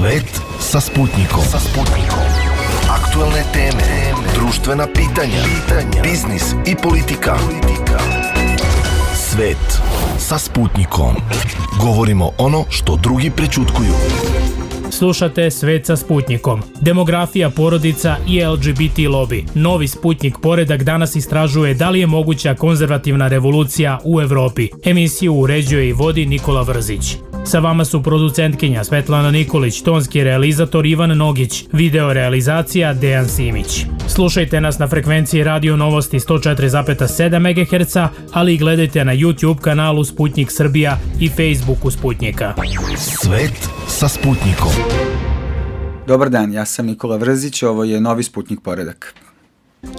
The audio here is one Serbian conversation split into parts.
Svet sa Sputnikom. Aktuelne teme, društvena pitanja, biznis i politika. Svet sa Sputnikom. Govorimo ono što drugi prećutkuju. Slušate Svet sa Sputnikom. Demografija, porodica i LGBT lobby. Novi Sputnik poredak danas istražuje da li je moguća konzervativna revolucija u Evropi. Emisiju uređuje i vodi Nikola Vrzić. Sa vama su producentkinja Svetlana Nikolić, tonski realizator Ivan Nogić, video realizacija Dejan Simić. Slušajte nas na frekvenciji Radio Novosti 104,7 MHz, ali i gledajte na YouTube kanalu Sputnik Srbija i Facebooku Sputnika. Svet sa Sputnikom. Dobar dan, ja sam Nikola Vrzić, ovo je Novi Sputnik poredak.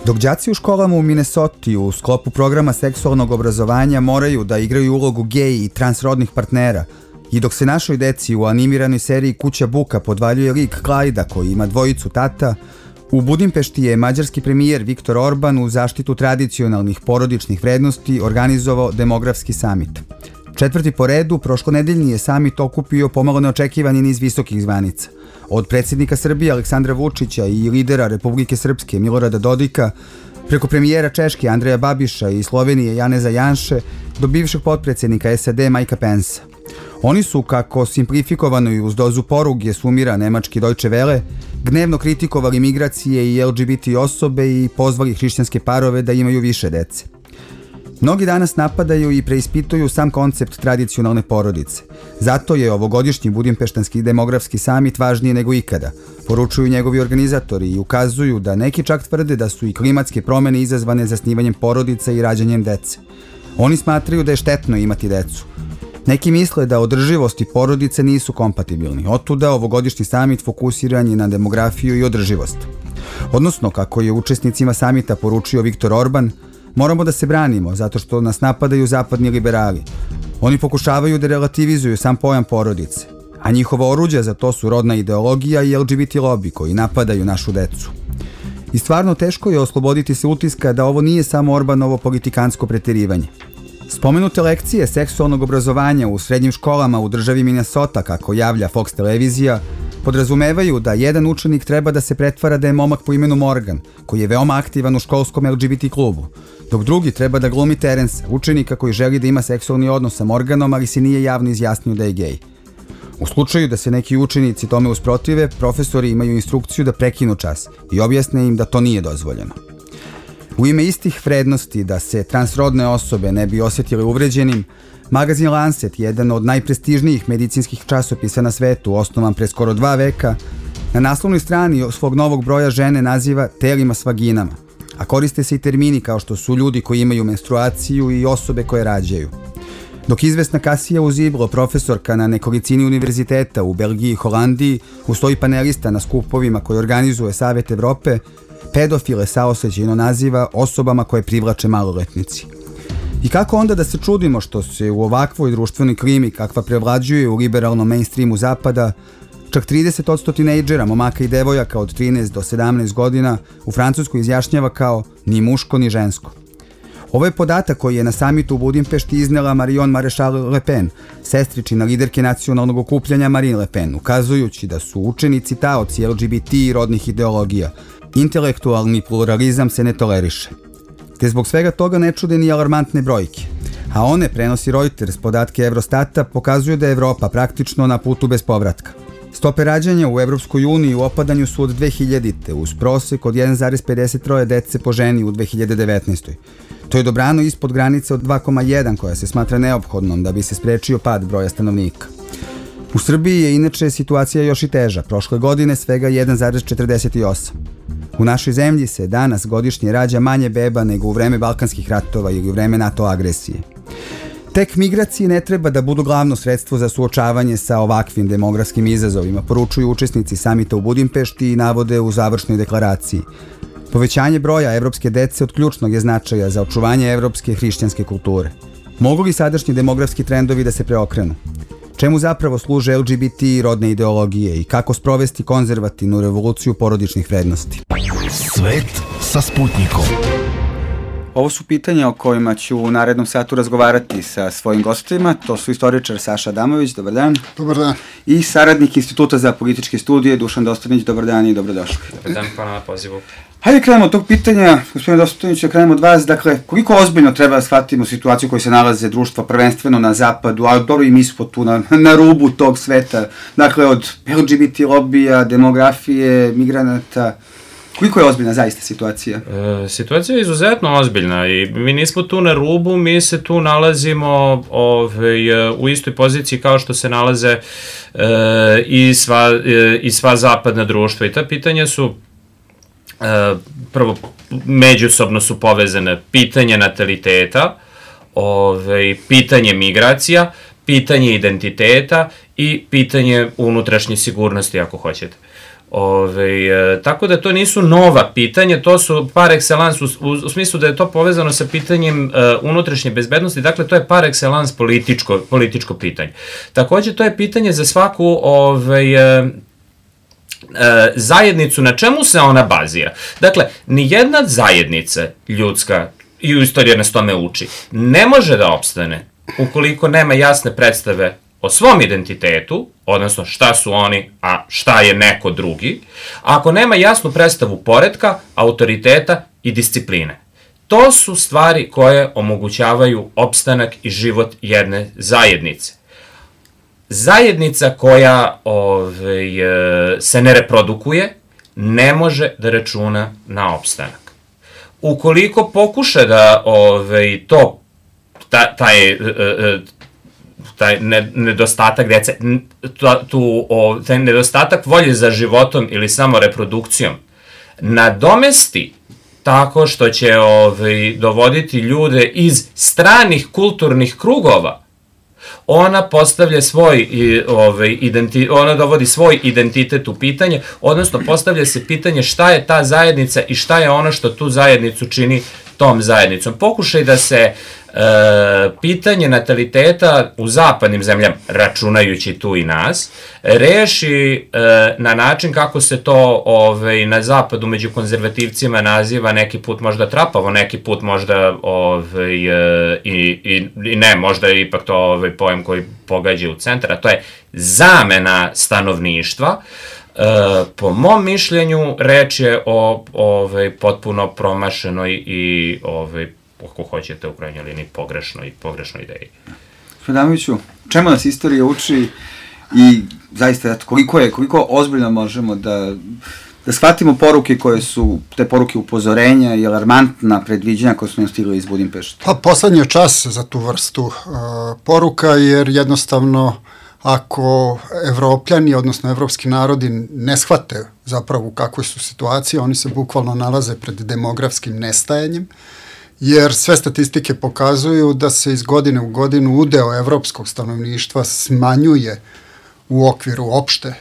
Dok đaci u školama u Minnesoti u sklopu programa seksualnog obrazovanja moraju da igraju ulogu gej i transrodnih partnera, i dok se našoj deci u animiranoj seriji Kuća buka podvaljuje lik Klajda koji ima dvojicu tata, u Budimpešti je mađarski premijer Viktor Orban u zaštitu tradicionalnih porodičnih vrednosti organizovao demografski samit. Četvrti po redu, prošlonedeljni je samit okupio pomalo neočekivani niz visokih zvanica. Od predsjednika Srbije Aleksandra Vučića i lidera Republike Srpske Milorada Dodika, preko premijera Češke Andreja Babiša i Slovenije Janeza Janše, do bivšeg potpredsjednika SAD Mikea Pensa. Oni su, kako simplifikovano i uz dozu poruge sumira nemački Deutsche Welle, gnevno kritikovali migracije i LGBT osobe i pozvali hrišćanske parove da imaju više dece. Mnogi danas napadaju i preispituju sam koncept tradicionalne porodice. Zato je ovogodišnji Budimpeštanski demografski samit važniji nego ikada, poručuju njegovi organizatori i ukazuju da neki čak tvrde da su i klimatske promene izazvane zasnivanjem porodica i rađanjem dece. Oni smatraju da je štetno imati decu. Neki misle da održivost i porodice nisu kompatibilni, otuda ovogodišnji samit fokusiran je na demografiju i održivost. Odnosno, kako je učesnicima samita poručio Viktor Orban, moramo da se branimo zato što nas napadaju zapadni liberali. Oni pokušavaju da relativizuju sam pojam porodice, a njihovo oruđe za to su rodna ideologija i LGBT lobby koji napadaju našu decu. I stvarno teško je osloboditi se utiska da ovo nije samo Orbanovo politikansko preterivanje. Spomenute lekcije seksualnog obrazovanja u srednjim školama u državi Minnesota, kako javlja Fox televizija, podrazumevaju da jedan učenik treba da se pretvara da je momak po imenu Morgan, koji je veoma aktivan u školskom LGBT klubu, dok drugi treba da glumi Terence, učenika koji želi da ima seksualni odnos sa Morganom, ali se nije javno izjasnio da je gej. U slučaju da se neki učenici tome usprotive, profesori imaju instrukciju da prekinu čas i objasne im da to nije dozvoljeno. U ime istih vrednosti da se transrodne osobe ne bi osjetile uvređenim, magazin Lancet, jedan od najprestižnijih medicinskih časopisa na svetu, osnovan pre skoro 2 veka, na naslovnoj strani svog novog broja žene naziva telima s vaginama, a koriste se i termini kao što su ljudi koji imaju menstruaciju i osobe koje rađaju. Dok izvesna Kasija Uziblo, profesorka na nekolicini univerziteta u Belgiji i Holandiji, ustoji panelista na skupovima koje organizuje Savet Evrope, pedofile saosećajno naziva osobama koje privlače maloletnici. I kako onda da se čudimo što se u ovakvoj društvenoj klimi kakva prevlađuje u liberalnom mainstreamu zapada, čak 30% tinejdžera, momaka i devojaka od 13 do 17 godina u Francuskoj izjašnjava kao ni muško ni žensko. Ovo je podatak koji je na samitu u Budimpešti iznela Marion Maréchal Le Pen, sestričina liderke nacionalnog okupljanja Marine Le Pen, ukazujući da su učenici taoci LGBT i rodnih ideologija. Intelektualni pluralizam se ne toleriše. Te zbog svega toga ne čude ni alarmantne brojke. A one, prenosi Reuters, podatke Eurostata, pokazuju da je Evropa praktično na putu bez povratka. Stope rađanja u Evropskoj uniji u opadanju su od 2000. uz prosek od 1,53 dece po ženi u 2019. To je dobrano ispod granice od 2,1 koja se smatra neophodnom da bi se sprečio pad broja stanovnika. U Srbiji je inače situacija još i teža, prošle godine svega 1,48. U našoj zemlji se danas godišnje rađa manje beba nego u vreme Balkanskih ratova ili u vreme NATO agresije. Tek migracije ne treba da budu glavno sredstvo za suočavanje sa ovakvim demografskim izazovima, poručuju učesnici samita u Budimpešti i navode u završnoj deklaraciji. Povećanje broja evropske dece od ključnog je značaja za očuvanje evropske hrišćanske kulture. Mogu li sadašnji demografski trendovi da se preokrenu? Čemu zapravo služe LGBT i rodne ideologije i kako sprovesti konzervativnu revoluciju porodičnih vrednosti? Svet sa Sputnikom. Ovo su pitanja o kojima ću u narednom satu razgovarati sa svojim gostima. To su istoričar Saša Adamović, dobar dan. Dobar dan. I saradnik Instituta za političke studije Dušan Dostanić, dobar dan i dobrodošli. Dobar dan, hvala na pozivu. Hajde krenemo od tog pitanja, gospodine Dostanić, da krenemo od vas. Dakle, koliko ozbiljno treba da shvatimo situaciju u kojoj se nalaze društva prvenstveno na zapadu, a dobro i mi smo tu na rubu tog sveta, dakle od LGBT lobija, demografije, migranata. Koliko je ozbiljna zaista situacija? Situacija je izuzetno ozbiljna i mi nismo tu na rubu, mi se tu nalazimo u istoj poziciji kao što se nalaze i sva zapadna društva. I ta pitanja su, prvo, međusobno su povezane pitanje nataliteta, pitanje migracija, pitanje identiteta i pitanje unutrašnje sigurnosti, ako hoćete. Tako da to nisu nova pitanja, to su par excellence u smislu da je to povezano sa pitanjem unutrašnje bezbednosti, dakle to je par excellence političko pitanje. Takođe to je pitanje za svaku zajednicu, na čemu se ona bazira. Dakle, nijedna zajednica ljudska, i u istoriji nas tome uči, ne može da opstane ukoliko nema jasne predstave o svom identitetu, odnosno šta su oni, a šta je neko drugi, ako nema jasnu predstavu poretka, autoriteta i discipline. To su stvari koje omogućavaju opstanak i život jedne zajednice. Zajednica koja se ne reprodukuje ne može da računa na opstanak. Ukoliko pokuša da taj nedostatak dece, taj nedostatak volje za životom ili samo reprodukcijom nadomesti tako što će dovoditi ljude iz stranih kulturnih krugova, ona postavlja ona dovodi svoj identitet u pitanje, odnosno postavlja se pitanje šta je ta zajednica i šta je ono što tu zajednicu čini tom zajednicom. Pokušaj da se pitanje nataliteta u zapadnim zemljama, računajući tu i nas, reši na način kako se to na zapadu među konzervativcima naziva, neki put možda trapavo, neki put možda i ne, možda je ipak to pojem koji pogađa u centar, a to je zamena stanovništva. Po mom mišljenju reč je o potpuno promašenoj i ako hoćete u krajnjoj liniji pogrešnoj ideji. Adamoviću, čemu nas istorija uči i zaista koliko ozbiljno možemo da shvatimo poruke koje su, te poruke upozorenja i alarmantna predviđanja koje su nam stigli iz Budimpešte? Pa poslednji je čas za tu vrstu poruka, jer jednostavno ako Evropljani, odnosno evropski narodi ne shvate zapravo u kakvoj su situaciji, oni se bukvalno nalaze pred demografskim nestajanjem, jer sve statistike pokazuju da se iz godine u godinu udeo evropskog stanovništva smanjuje u okviru opšte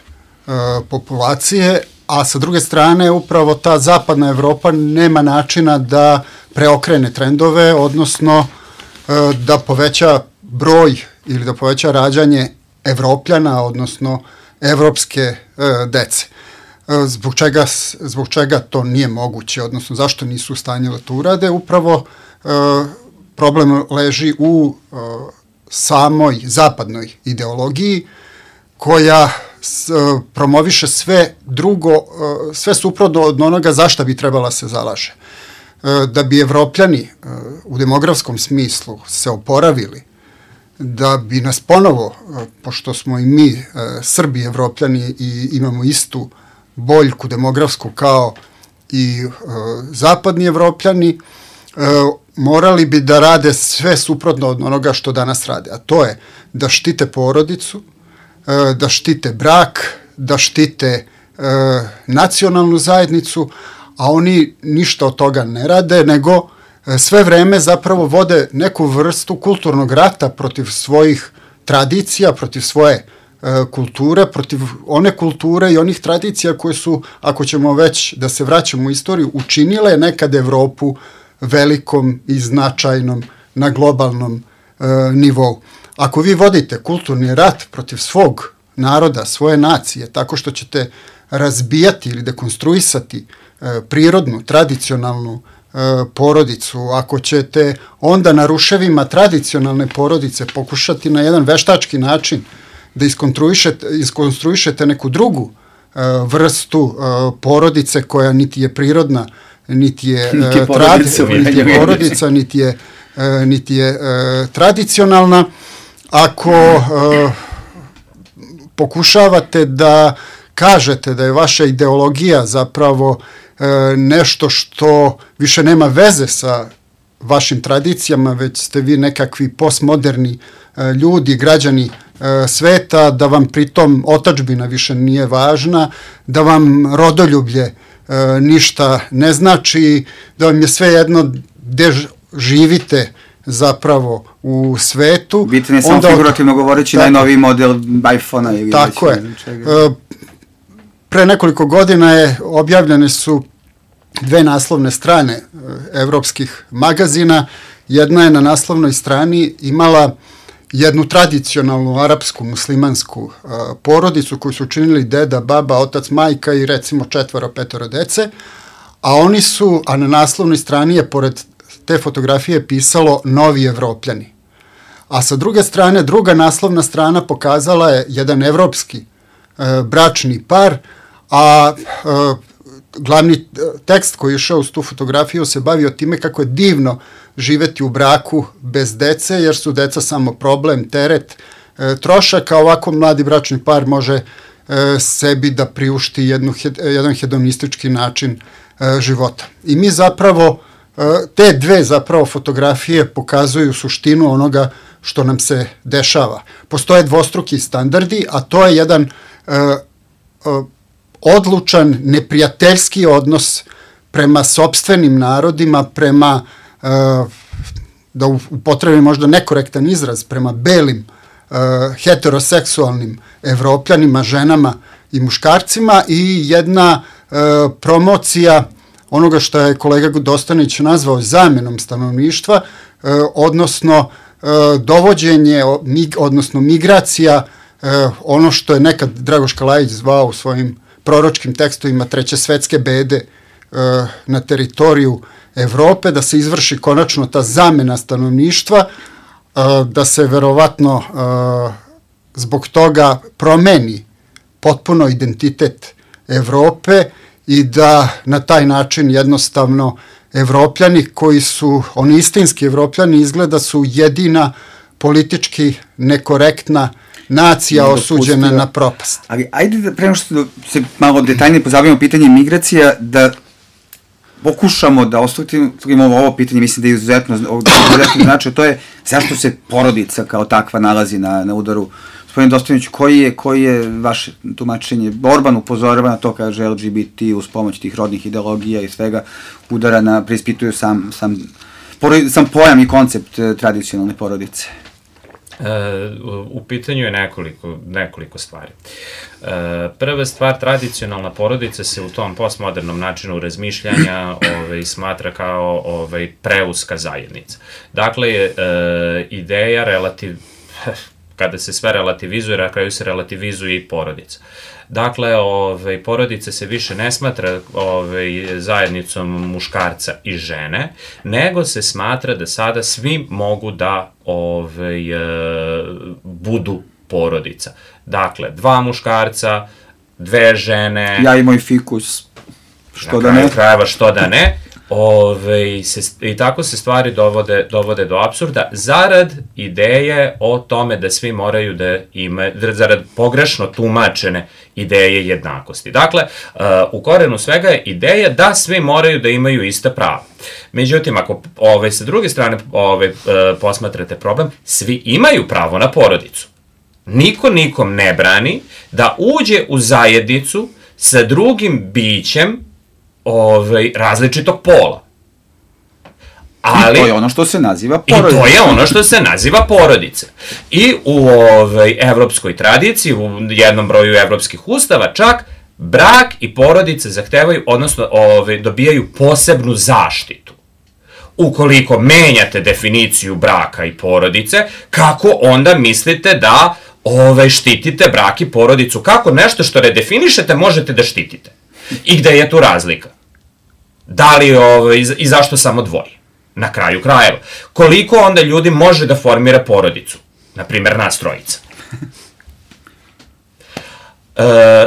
populacije, a sa druge strane upravo ta zapadna Evropa nema načina da preokrene trendove, odnosno da poveća broj ili da poveća rađanje Evropljana, odnosno evropske dece. Zbog čega to nije moguće, odnosno zašto nisu u stanju da to urade? Upravo problem leži u samoj zapadnoj ideologiji koja promoviše sve drugo, sve suprotno od onoga za šta bi trebala se zalaže. Da bi Evropljani u demografskom smislu se oporavili, da bi nas ponovo, pošto smo i mi Srbi Evropljani i imamo istu boljku demografsku kao i zapadni Evropljani, morali bi da rade sve suprotno od onoga što danas rade, a to je da štite porodicu, da štite brak, da štite nacionalnu zajednicu, a oni ništa od toga ne rade, nego sve vreme zapravo vode neku vrstu kulturnog rata protiv svojih tradicija, protiv svoje kulture, protiv one kulture i onih tradicija koje su, ako ćemo već da se vraćamo u istoriju, učinile nekad Evropu velikom i značajnom na globalnom nivou. Ako vi vodite kulturni rat protiv svog naroda, svoje nacije, tako što ćete razbijati ili dekonstruisati prirodnu, tradicionalnu porodicu, ako ćete onda na ruševima tradicionalne porodice pokušati na jedan veštački način da iskonstruišete neku drugu vrstu porodice koja niti je prirodna, niti je porodica, niti je tradicionalna, ako pokušavate da kažete da je vaša ideologija zapravo nešto što više nema veze sa vašim tradicijama, već ste vi nekakvi postmoderni ljudi, građani sveta, da vam pritom otadžbina više nije važna, da vam rodoljublje ništa ne znači, da vam je sve jedno gde živite zapravo u svetu. Bitan je samo figurativno govoreći najnoviji model iPhone-a ili tako je. Pre nekoliko godina objavljene su 2 naslovne strane evropskih magazina. Jedna je na naslovnoj strani imala jednu tradicionalnu arapsku muslimansku porodicu koju su učinili deda, baba, otac, majka i recimo 4-5 dece, a na naslovnoj strani je pored te fotografije pisalo novi Evropljani. A sa druge strane, druga naslovna strana pokazala je jedan evropski bračni par, a glavni tekst koji je išao uz tu fotografiju se bavio time kako je divno živeti u braku bez dece, jer su deca samo problem, teret, trošak, a ovako mladi bračni par može sebi da priušti jedan hedonistički način života. I mi zapravo, te dve zapravo fotografije pokazuju suštinu onoga što nam se dešava. Postoje dvostruki standardi, a to je jedan odlučan, neprijateljski odnos prema sopstvenim narodima, prema, da upotrebim možda nekorektan izraz, prema belim heteroseksualnim Evropljanima, ženama i muškarcima, i jedna promocija onoga što je kolega Dostanić nazvao zamenom stanovništva, odnosno dovođenje, odnosno migracija, ono što je nekad Dragoš Kalajić zvao u svojim proročkim tekstovima treće svetske bede na teritoriju Evrope, da se izvrši konačno ta zamena stanovništva, da se verovatno zbog toga promeni potpuno identitet Evrope i da na taj način jednostavno Evropljani koji su, oni istinski Evropljani, izgleda su jedina politički nekorektna nacija osuđena na propast. Ali ajde da prema što se malo detaljnije pozabavimo pitanje migracija, da pokušamo da ostavimo ovo pitanje, mislim da je izuzetno znači, to je zašto se porodica kao takva nalazi na udaru. Gospodin Dostanić, koji je vaše tumačenje? Orban upozorava na to, kaže LGBT uz pomoć tih rodnih ideologija i svega udara preispituju sam pojam i koncept tradicionalne porodice. U pitanju je nekoliko stvari. Prva stvar, tradicionalna porodica se u tom postmodernom načinu razmišljanja smatra kao preuska zajednica. Dakle, ideja kada se sve relativizuje, na kraju se relativizuje i porodica. Dakle, porodica se više ne smatra zajednicom muškarca i žene, nego se smatra da sada svi mogu da budu porodica. Dakle, 2 muškarca, 2 žene... Ja i moj fikus, što da ne? Na kraju krajeva, što da ne? I tako se stvari dovode do apsurda, zarad ideje o tome da svi moraju da imaju, zarad pogrešno tumačene ideje jednakosti. Dakle, u korenu svega je ideja da svi moraju da imaju ista prava. Međutim, ako sa druge strane posmatrate problem, svi imaju pravo na porodicu. Niko nikom ne brani da uđe u zajednicu sa drugim bićem različitog pola. Ali, i to je ono što se naziva porodica. I to je ono što se naziva porodica. I u evropskoj tradiciji, u jednom broju evropskih ustava, čak brak i porodica zahtevaju, odnosno dobijaju posebnu zaštitu. Ukoliko menjate definiciju braka i porodice, kako onda mislite da štitite brak i porodicu? Kako nešto što redefinišete možete da štitite? I gde je tu razlika? Da li, i zašto samo dvoje? Na kraju krajeva. Koliko onda ljudi može da formira porodicu? Naprimer, nas trojica.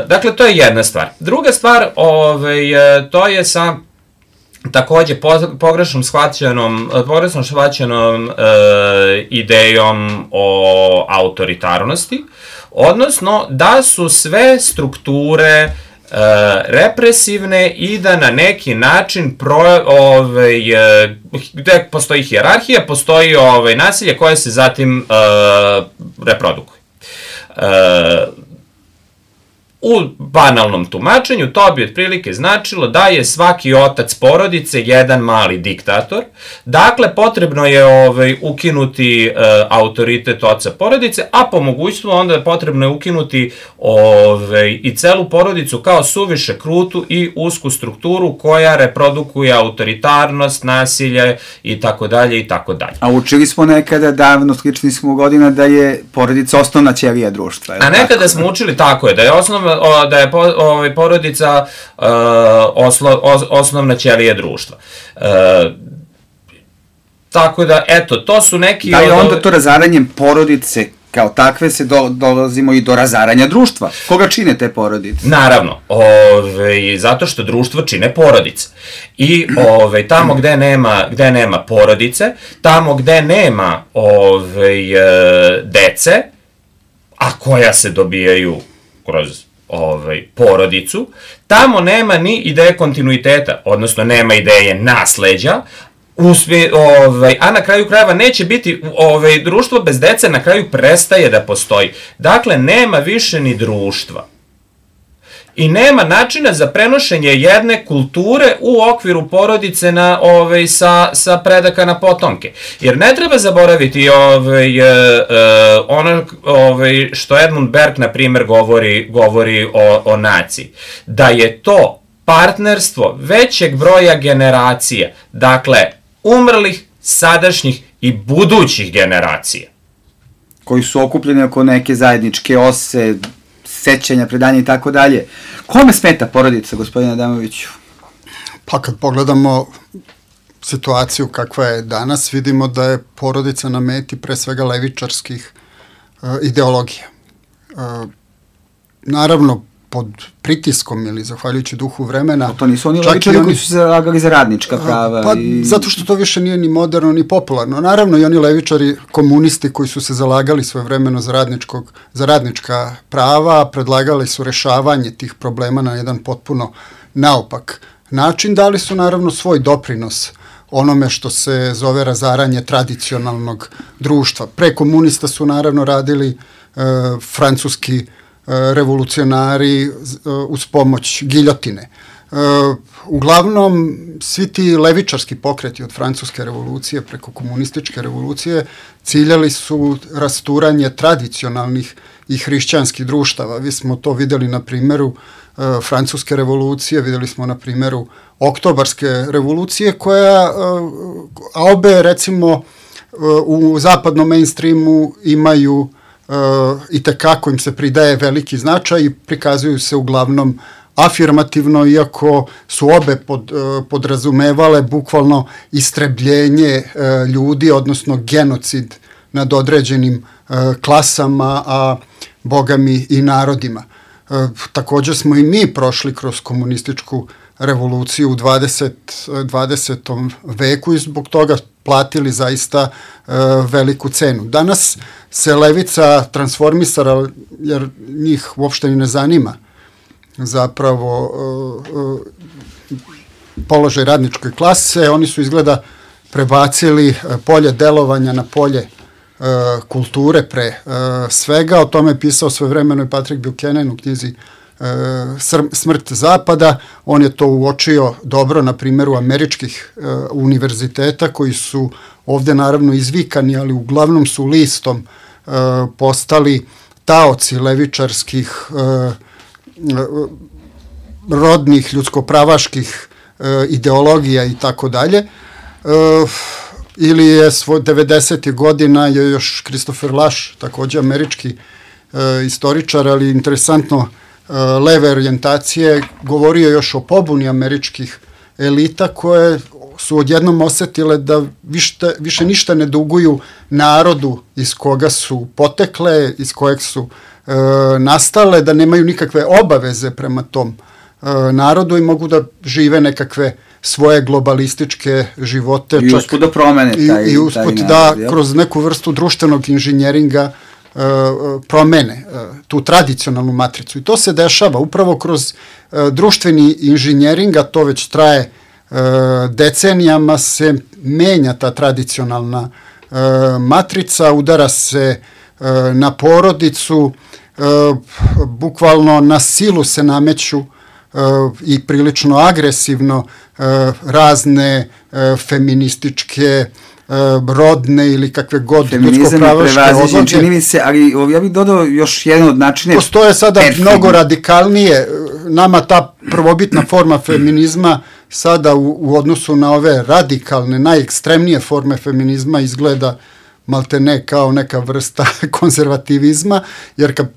Dakle, to je jedna stvar. Druga stvar, to je sa takođe pogrešno shvaćenom idejom o autoritarnosti, odnosno da su sve strukture represivne i da na neki način gde postoji hijerarhija, postoji nasilje koje se zatim reprodukuje. U banalnom tumačenju to bi otprilike značilo da je svaki otac porodice jedan mali diktator, dakle potrebno je ukinuti autoritet oca porodice, a po mogućstvu onda potrebno je ukinuti i celu porodicu kao suviše krutu i usku strukturu koja reprodukuje autoritarnost, nasilje i tako dalje i tako dalje. A učili smo nekada davno, slični smo godina, da je porodica osnovna ćelija društva. A nekada smo učili tako je, da je porodica osnovna ćelija društva. Tako da, eto, to su neki... Da je onda to razaranjem porodice kao takve se dolazimo i do razaranja društva. Koga čine te porodice? Naravno, zato što društvo čine porodice. I tamo gde nema porodice, tamo gde nema dece, a koja se dobijaju kroz porodicu, tamo nema ni ideje kontinuiteta, odnosno nema ideje nasleđa, a na kraju krajeva neće biti, društvo bez dece na kraju prestaje da postoji. Dakle, nema više ni društva. I nema načina za prenošenje jedne kulture u okviru porodice sa predaka na potomke. Jer ne treba zaboraviti ono što Edmund Burke, na primjer, govori o naciji. Da je to partnerstvo većeg broja generacija, dakle, umrlih, sadašnjih i budućih generacija. Koji su okupljeni oko neke zajedničke ose, sećanja, predanja i tako dalje. Kome smeta porodica, gospodine Adamoviću? Pa kad pogledamo situaciju kakva je danas, vidimo da je porodica na meti pre svega levičarskih ideologija. Naravno, pod pritiskom ili zahvaljujući duhu vremena... To nisu oni levičari koji su se zalagali za radnička prava? Pa, zato što to više nije ni moderno, ni popularno. Naravno, i oni levičari, komunisti koji su se zalagali svojevremeno za radnička prava, predlagali su rešavanje tih problema na jedan potpuno naopak način, dali su naravno svoj doprinos onome što se zove razaranje tradicionalnog društva. Pre komunista su naravno radili francuski revolucionari uz pomoć giljotine. Uglavnom, svi ti levičarski pokreti od francuske revolucije preko komunističke revolucije ciljali su rasturanje tradicionalnih i hrišćanskih društava. Vi smo to videli na primjeru francuske revolucije, videli smo na primjeru oktobarske revolucije a obe recimo u zapadnom mainstreamu imaju i tekako im se pridaje veliki značaj i prikazuju se uglavnom afirmativno, iako su obe podrazumevale bukvalno istrebljenje ljudi, odnosno genocid nad određenim klasama, a bogami i narodima. Također smo i mi prošli kroz komunističku revoluciju u 20. veku i zbog toga platili zaista veliku cenu. Danas se levica transformisala, jer njih uopšte ni ne zanima zapravo položaj radničke klase. Oni su izgleda prebacili polje delovanja na polje kulture pre svega. O tome je pisao svojevremeno i Patrick Buchanan u knjizi Smrt Zapada. On je to uočio dobro na primjeru američkih univerziteta koji su ovdje naravno izvikani, ali uglavnom su listom postali taoci levičarskih rodnih, ljudskopravaških ideologija i tako dalje. Ili je 90. godina je još Christopher Lasch, također američki istoričar, ali interesantno leve orijentacije, govorio još o pobuni američkih elita koje su odjednom osetile da više ništa ne duguju narodu iz koga su potekle, iz kojeg su nastale, da nemaju nikakve obaveze prema tom narodu i mogu da žive nekakve svoje globalističke živote. I usput da promene taj i usput da kroz neku vrstu društvenog inženjeringa promene tu tradicionalnu matricu. I to se dešava upravo kroz društveni inženjering, a to već traje decenijama, se menja ta tradicionalna matrica, udara se na porodicu, bukvalno na silu se nameću i prilično agresivno razne feminističke, rodne ili kakve god ljudsko-pravaške odloge. Čini mi se, ali ja bih dodao još jedan od načina. Postoje sada mnogo radikalnije, nama ta prvobitna forma feminizma sada u odnosu na ove radikalne, najekstremnije forme feminizma izgleda maltene kao neka vrsta konzervativizma, jer kad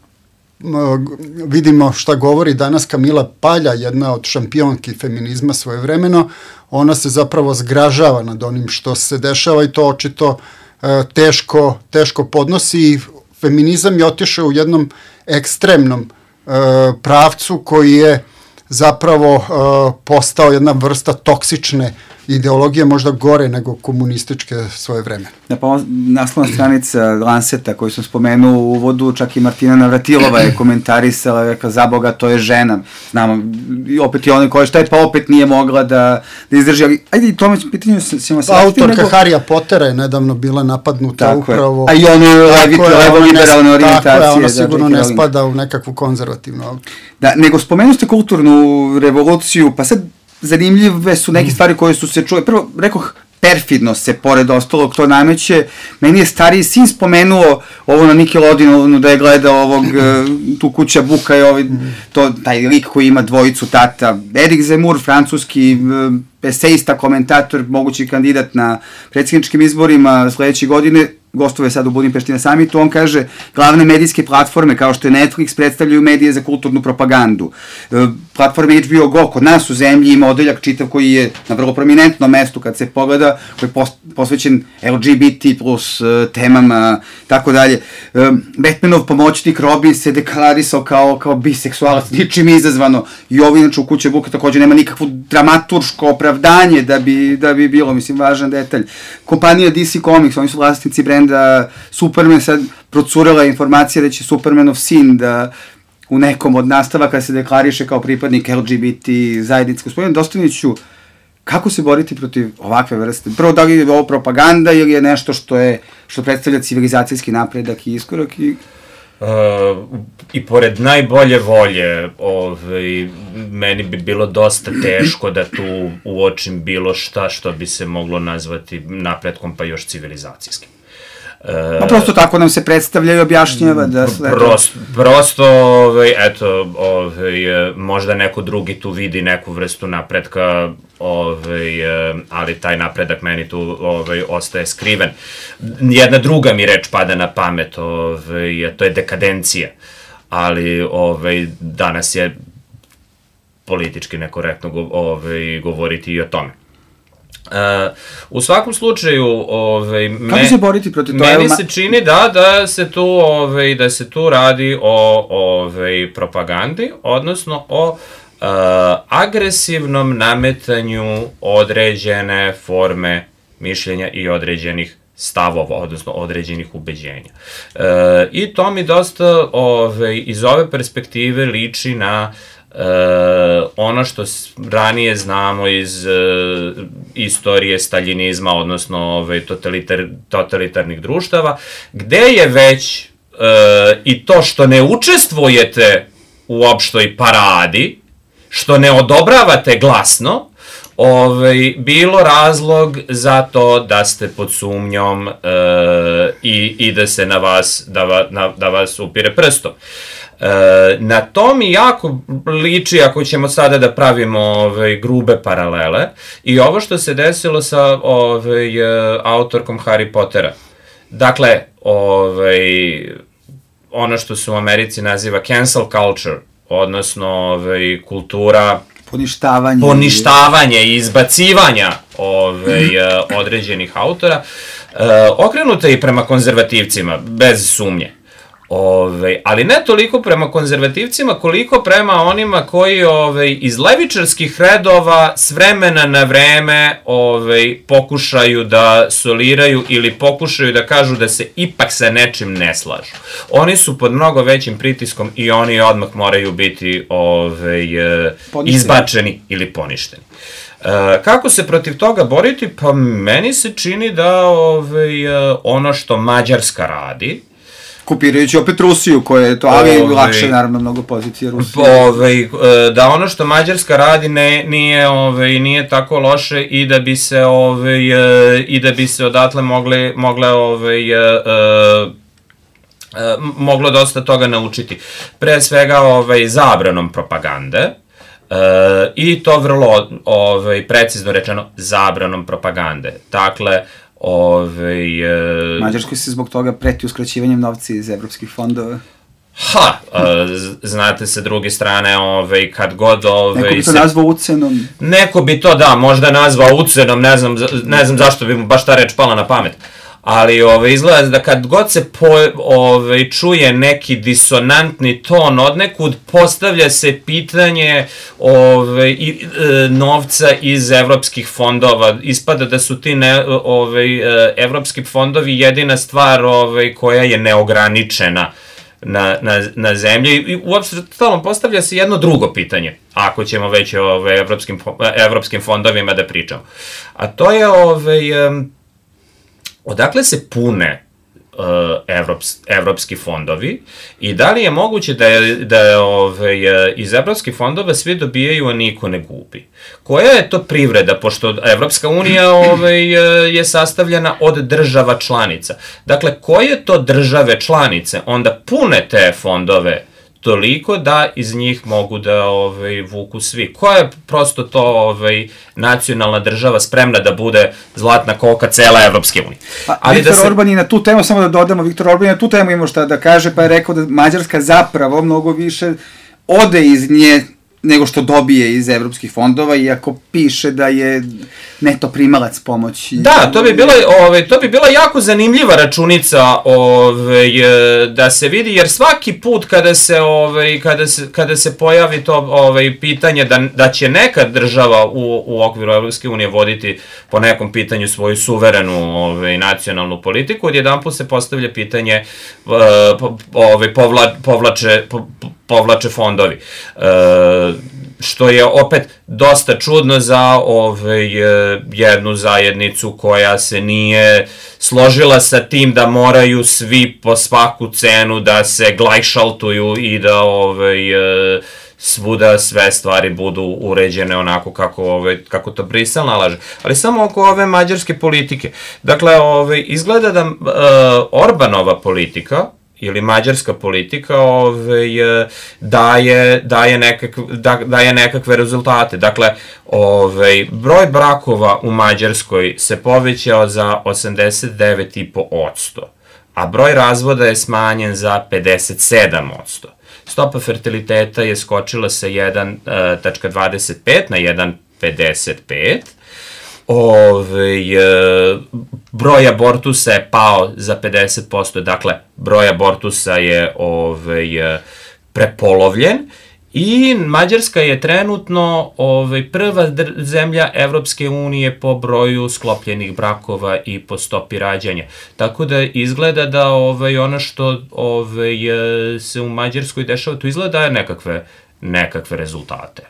vidimo šta govori danas Kamila Palja, jedna od šampionki feminizma svojevremeno, ona se zapravo zgražava nad onim što se dešava i to očito teško podnosi i feminizam je otišao u jednom ekstremnom pravcu koji je zapravo postao jedna vrsta toksične ideologije, možda gore nego komunističke svoje vreme. Pa naslovna stranica Lanceta koju sam spomenuo u uvodu, čak i Martina Navratilova je komentarisala, rekla, za Boga, to je žena. Znamo, i opet je ona koja šta je, pa opet nije mogla da izdrži. Ali, ajde i tome pitanju ćemo se... Autorka Harrya Pottera je nedavno bila napadnuta tako upravo... A i ono levo-liberalne orijentacije. Tako je, ona sigurno ne spada u nekakvu konzervativnu autor. Da, nego spomenu ste kulturnu revoluciju, pa sad zanimljive su neke stvari koje su se čule. Prvo, rekoh, perfidno se, pored ostalog, to nameće. Meni je stariji sin spomenuo ovo na Nickelodeonu, da je gledao tu Kuća Buka i taj lik koji ima dvojicu tata. Erik Zemmour, francuski esejista, komentator, mogući kandidat na predsjedničkim izborima sledeće godine, gostuje sad u Budimpešti na samitu, on kaže, glavne medijske platforme kao što je Netflix predstavljaju medije za kulturnu propagandu. Platforma HBO Go kod nas u zemlji ima odeljak čitav koji je na vrlo prominentnom mestu kad se pogleda, koji je posvećen LGBT plus temama, tako dalje. Batmanov pomoćnik Robin se deklarisao kao biseksualac, ničim izazvano, i ovo inače u Kuće Buka takođe nema nikakvo dramaturško opravdanje da bi bilo, mislim, važan detalj. Kompanija DC Comics, oni su vlasnici brenda Superman, sad procurela informacija da će Supermanov sin da u nekom od nastavaka se deklariše kao pripadnik LGBT zajednice. Gospodin Dostojniću, kako se boriti protiv ovakve vrste? Prvo, da li je ovo propaganda ili je nešto što predstavlja civilizacijski napredak i iskorak? I pored najbolje volje, meni bi bilo dosta teško da tu uočim bilo šta što bi se moglo nazvati napretkom, pa još civilizacijskim. Pa prosto tako nam se predstavlja i objašnjava da sve... Prosto, eto, možda neko drugi tu vidi neku vrstu napretka, ali taj napredak meni tu ostaje skriven. Jedna druga mi reč pada na pamet, to je dekadencija, ali danas je politički nekorektno govoriti i o tome. U svakom slučaju, kako se boriti protiv toga? Meni se čini da se tu radi o propagandi, odnosno o agresivnom nametanju određene forme mišljenja i određenih stavova, odnosno određenih ubeđenja. I to mi dosta iz ove perspektive liči na ono što ranije znamo iz istorije staljinizma, odnosno totalitarnih društava, gde je već i to što ne učestvujete u opštoj paradi, što ne odobravate glasno, bilo razlog za to da ste pod sumnjom i da se da vas upire prstom. Na to mi jako liči, ako ćemo sada da pravimo grube paralele, i ovo što se desilo sa autorkom Harry Pottera. Dakle, ono što se u Americi naziva cancel culture, odnosno kultura poništavanje i izbacivanja određenih autora, okrenuta i prema konzervativcima, bez sumnje. Ali ne toliko prema konzervativcima, koliko prema onima koji iz levičarskih redova s vremena na vreme pokušaju da soliraju ili pokušaju da kažu da se ipak sa nečim ne slažu. Oni su pod mnogo većim pritiskom i oni odmah moraju biti izbačeni ili poništeni. Kako se protiv toga boriti? Pa meni se čini da ono što Mađarska radi, kopirajući opet Rusiju, koja je to, ali lakše, naravno, mnogo pozicije Rusije. Da ono što Mađarska radi nije tako loše i da bi se odatle moglo dosta toga naučiti. Pre svega zabranom propagande, i to vrlo precizno rečeno zabranom propagande. Dakle, Mađarskoj se zbog toga preti uskraćivanjem novca iz evropskih fondova. Znate, sa druge strane, kad god... Neko bi to nazvao ucenom. Neko bi to, da, možda nazvao ucenom, ne znam zašto bi mu baš ta reč pala na pamet. Ali izgleda da kad god se čuje neki disonantni ton odnekud, postavlja se pitanje novca iz evropskih fondova. Ispada da su ti evropski fondovi jedina stvar koja je neograničena na zemlji. I uopšte stalno postavlja se jedno drugo pitanje, ako ćemo već o evropskim fondovima da pričamo. A to je odakle se pune evropski fondovi i da li je moguće da iz evropskih fondova svi dobijaju, a niko ne gubi? Koja je to privreda, pošto Evropska unija je sastavljena od država članica? Dakle, koje to države članice onda pune te fondove toliko da iz njih mogu da vuku svi? Koja je prosto to nacionalna država spremna da bude zlatna koka cela Evropske unije? Viktor Orban je na tu temu, samo da dodamo, Viktor Orban je na tu temu imao šta da kaže, pa je rekao da Mađarska zapravo mnogo više ode iz nje nego što dobije iz evropskih fondova, iako piše da je neto primalac pomoći. Da, to bi bila jako zanimljiva računica da se vidi, jer svaki put kada se pojavi to pitanje da će neka država u okviru Evropske unije voditi po nekom pitanju svoju suverenu nacionalnu politiku, odjedanput se postavlja pitanje povlače fondovi. Što je opet dosta čudno za jednu zajednicu koja se nije složila sa tim da moraju svi po svaku cenu da se glajšaltuju i da svuda sve stvari budu uređene onako kako to Brisel nalaže. Ali samo oko ove mađarske politike. Dakle, izgleda da Orbanova politika ili mađarska politika daje nekakve rezultate. Dakle, broj brakova u Mađarskoj se povećao za 89,5%, a broj razvoda je smanjen za 57%. Stopa fertiliteta je skočila sa 1,25 na 1,55. Broj abortusa je pao za 50%, dakle, broj abortusa je prepolovljen i Mađarska je trenutno prva zemlja Evropske unije po broju sklopljenih brakova i po stopi rađanja. Tako da izgleda da ono što se u Mađarskoj dešava, to izgleda je nekakve rezultate.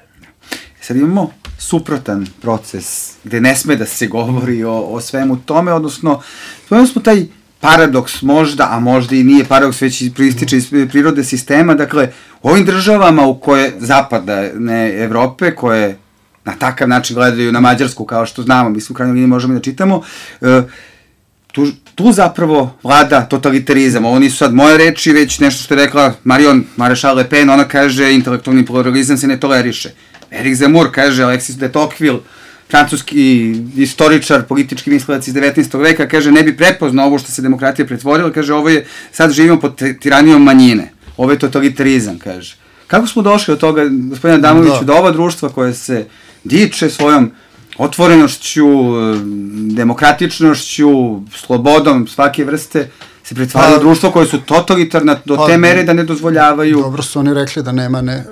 Sad imamo suprotan proces gde ne sme da se govori o svemu tome, odnosno spomenuli smo taj paradoks možda, a možda i nije paradoks, već proističe iz prirode sistema, dakle, u ovim državama u koje zapadne Evrope, koje na takav način gledaju na Mađarsku, kao što znamo, mi u krajnjoj liniji možemo da čitamo, tu zapravo vlada totalitarizam. Ovo nisu sad moje reči, već nešto što je rekla Marion Maréchal Le Pen, ona kaže intelektualni pluralizam se ne toleriše. Éric Zemmour kaže, Alexis de Tocqueville, francuski istoričar, politički mislilac iz 19. veka, kaže, ne bi prepoznao ovo što se demokratija pretvorila, kaže, ovo je, sad živimo pod tiranijom manjine, ovo je totalitarizam, kaže. Kako smo došli od toga, gospodine Adamoviću, da ova društva koje se diče svojom otvorenošću, demokratičnošću, slobodom svake vrste, se pretvaraju društvo koje su totalitarna do te mere da ne dozvoljavaju... Dobro su oni rekli da nema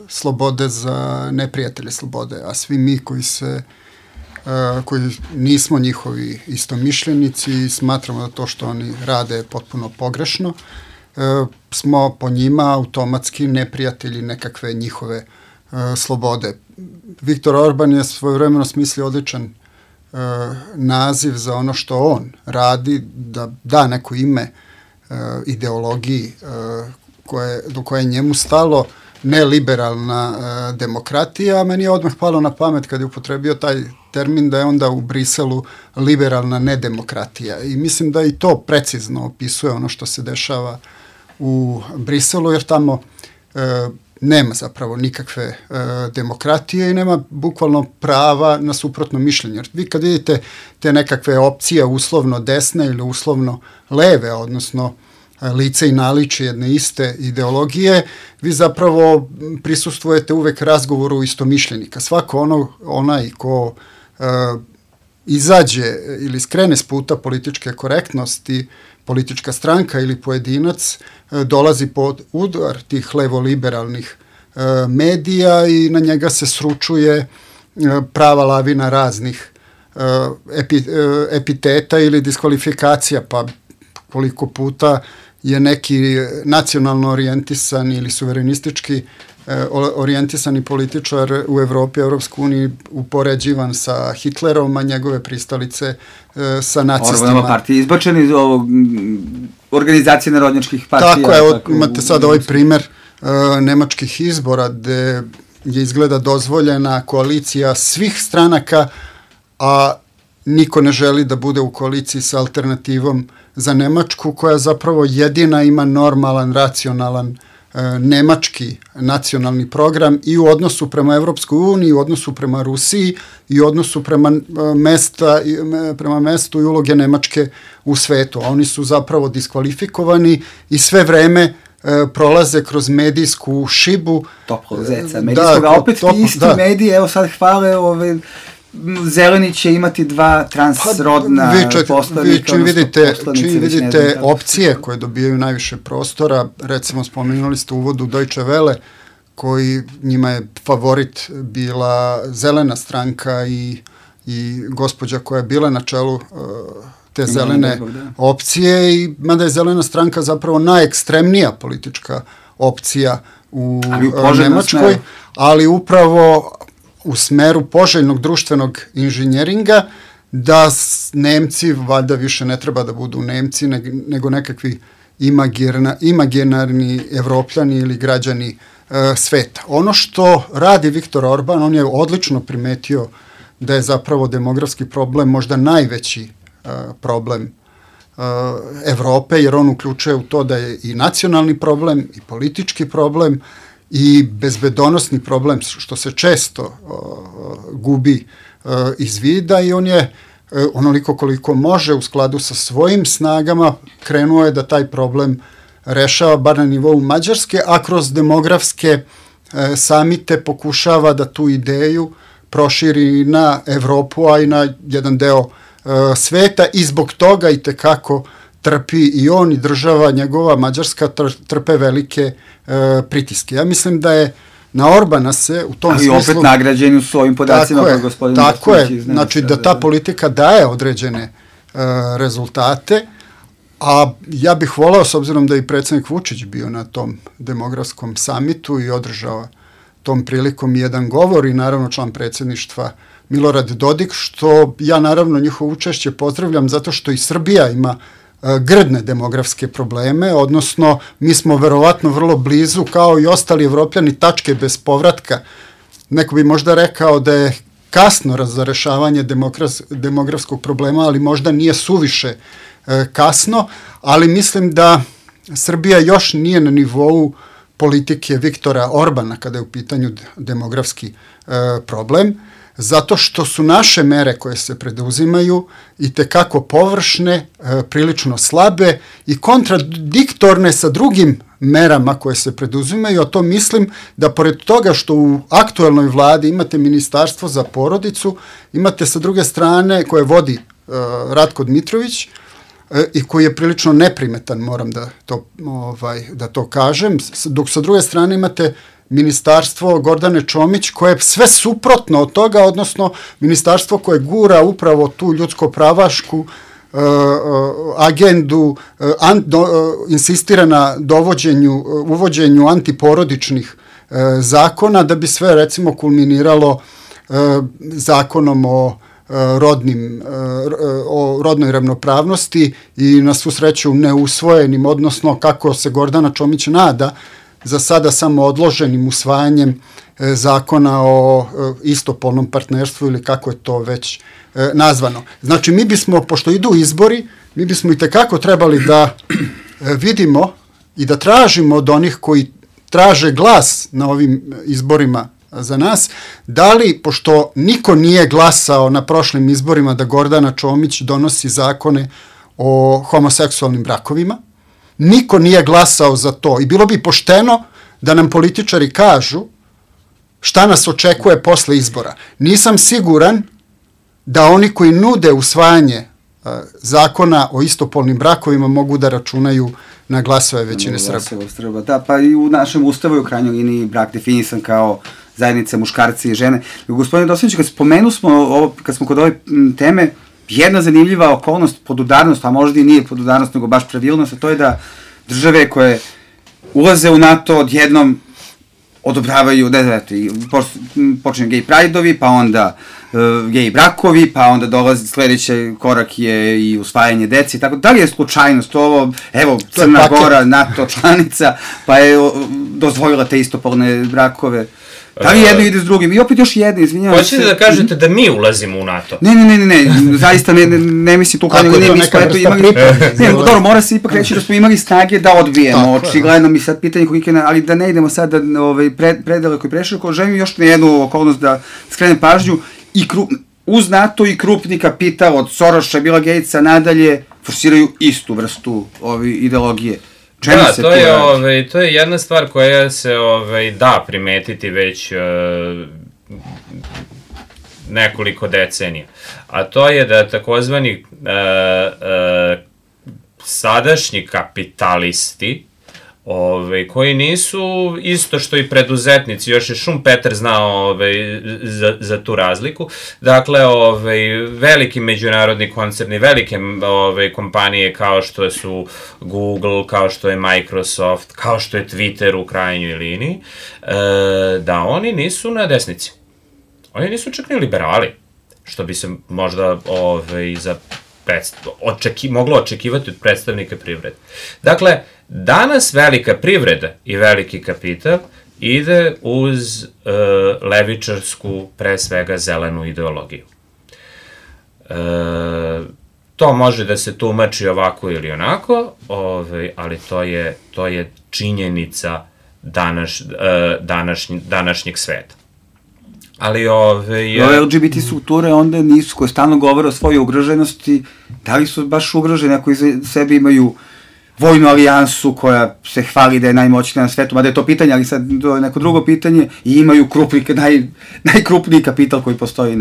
slobode za neprijatelje slobode, a svi mi koji nismo njihovi istomišljenici i smatramo da to što oni rade je potpuno pogrešno, smo po njima automatski neprijatelji nekakve njihove slobode. Viktor Orban je svojevremeno smislio odličan naziv za ono što on radi, da da neko ime ideologiji do koje je njemu stalo, neliberalna demokratija, a meni je odmah palo na pamet kad je upotrebio taj termin da je onda u Briselu liberalna nedemokratija. I mislim da i to precizno opisuje ono što se dešava u Briselu, jer tamo nema zapravo nikakve demokratije i nema bukvalno prava na suprotno mišljenje. Jer vi kad vidite te nekakve opcije uslovno desne ili uslovno leve, odnosno lice i naličje jedne iste ideologije, vi zapravo prisustvujete uvek razgovoru istomišljenika. Svako onaj ko izađe ili skrene s puta političke korektnosti, politička stranka ili pojedinac dolazi pod udar tih levoliberalnih medija i na njega se sručuje prava lavina raznih epiteta ili diskvalifikacija, pa koliko puta je neki nacionalno orijentisani ili suverenistički orijentisani političar u Evropi, Evropskoj uniji upoređivan sa Hitlerom, a njegove pristalice sa nacistima. Orbanova partija izbačena iz ovog organizacije narodnjačkih partija. Tako je, imate sad ovaj primer nemačkih izbora gde je izgleda dozvoljena koalicija svih stranaka, a niko ne želi da bude u koaliciji sa Alternativom za Nemačku, koja zapravo jedina ima normalan, racionalan nemački nacionalni program i u odnosu prema Evropskoj uniji, i u odnosu prema Rusiji, i u odnosu prema mestu i uloge Nemačke u svetu. A oni su zapravo diskvalifikovani i sve vreme prolaze kroz medijsku šibu. Toplog zeca medijskog, a opet ti isti mediji, evo sad hvale Zeleni će imati 2 transrodna poslanika. Čim vidite opcije koje dobijaju najviše prostora, recimo spomenuli ste u uvodu Deutsche Welle, koji njima je favorit bila zelena stranka i gospođa koja je bila na čelu te zelene opcije, i mada je zelena stranka zapravo najekstremnija politička opcija u Nemačkoj, ali upravo u smeru poželjnog društvenog inženjeringa, da Nemci valjda više ne treba da budu Nemci, nego nekakvi imaginarni Evropljani ili građani sveta. Ono što radi Viktor Orban, on je odlično primetio da je zapravo demografski problem možda najveći problem Evrope, jer on uključuje u to da je i nacionalni problem, i politički problem, i bezbedonosni problem, što se često gubi iz vida, i on je onoliko koliko može u skladu sa svojim snagama krenuo je da taj problem rešava bar na nivou Mađarske, a kroz demografske samite pokušava da tu ideju proširi na Evropu, a i na jedan deo sveta, i zbog toga i tekako trpi i on i država njegova Mađarska trpe velike pritiske. Ja mislim da je na Orbana se u tom smislu... Ali opet nagrađeni su ovim podacima kao gospodin Marković. Tako je, znači da ta politika daje određene rezultate, a ja bih volao, s obzirom da je i predsjednik Vučić bio na tom demografskom samitu i održao tom prilikom jedan govor, i naravno član predsjedništva Milorad Dodik, što ja naravno njihovo učešće pozdravljam, zato što i Srbija ima grdne demografske probleme, odnosno mi smo verovatno vrlo blizu, kao i ostali Evropljani, tačke bez povratka. Neko bi možda rekao da je kasno za rešavanje demografskog problema, ali možda nije suviše kasno, ali mislim da Srbija još nije na nivou politike Viktora Orbana kada je u pitanju demografski problem. zato što su naše mere koje se preduzimaju i tekako površne, prilično slabe i kontradiktorne sa drugim merama koje se preduzimaju, a to mislim da pored toga što u aktuelnoj vladi imate ministarstvo za porodicu, imate sa druge strane koje vodi Ratko Dmitrović i koji je prilično neprimetan, moram da to kažem, dok sa druge strane imate ministarstvo Gordane Čomić koje je sve suprotno od toga, odnosno ministarstvo koje gura upravo tu ljudsko-pravašku agendu, insistira na uvođenju antiporodičnih zakona, da bi sve recimo kulminiralo zakonom o rodnoj ravnopravnosti i na svu sreću neusvojenim, odnosno kako se Gordana Čomić nada, za sada samo odloženim usvajanjem zakona o istopolnom partnerstvu ili kako je to već nazvano. Znači, mi bismo, pošto idu izbori, mi bismo i tekako trebali da vidimo i da tražimo od onih koji traže glas na ovim izborima za nas, da li, pošto niko nije glasao na prošlim izborima da Gordana Čomić donosi zakone o homoseksualnim brakovima, niko nije glasao za to i bilo bi pošteno da nam političari kažu šta nas očekuje posle izbora. Nisam siguran da oni koji nude usvajanje zakona o istopolnim brakovima mogu da računaju na glasove većine Srba. Da, pa i u našem ustavu je u krajnjoj liniji brak definisan kao zajednice muškarci i žene. Gospodine Dosanić, kad smo kod ove teme, jedna zanimljiva okolnost, podudarnost, a možda i nije podudarnost, nego baš pravilnost, a to je da države koje ulaze u NATO odjednom odobravaju, počinju gej prajdovi, pa onda gej brakovi, pa onda dolazi sledeći korak je i usvajanje dece i tako. Da li je slučajnost ovo, evo, Crna Gora, NATO članica, pa je dozvolila te istopolne brakove? Da li jedno ide s drugim? I opet još jedno, izvinjavam se. Hoćete da kažete da mi ulazimo u NATO? Ne, zaista ne mislim tu kao ne, mi smo eto imali... Dobro, mora se ipak reći da smo imali snage da odbijemo, očigledno mi sad pitanje kolike, ali da ne idemo sad da predaleko i preširoko, želim još na jednu okolnost da skrenem pažnju, uz NATO i krupni kapital od Soroša, Billa Gatesa nadalje forsiraju istu vrstu ideologije. Da, to je jedna stvar koja se da primetiti već nekoliko decenija. A to je da takozvani sadašnji kapitalisti, koji nisu isto što i preduzetnici, još je Schumpeter znao za tu razliku. Dakle, veliki međunarodni koncerni, velike kompanije kao što su Google, kao što je Microsoft, kao što je Twitter u krajnjoj liniji, da oni nisu na desnici. Oni nisu čak ni liberali, što bi se možda moglo očekivati od predstavnika privrede. Dakle, danas velika privreda i veliki kapital ide uz levičarsku, pre svega zelenu ideologiju. To može da se tumači ovako ili onako, ali to je činjenica današnjeg sveta. Ali LGBT strukture onda nisu, koje stalno govore o svojoj ugroženosti, da li su baš ugroženi ako iza sebe imaju vojnu alijansu koja se hvali da je najmoćnija na svetu, mada je to pitanje, ali sad to je neko drugo pitanje, i imaju najkrupniji kapital koji postoji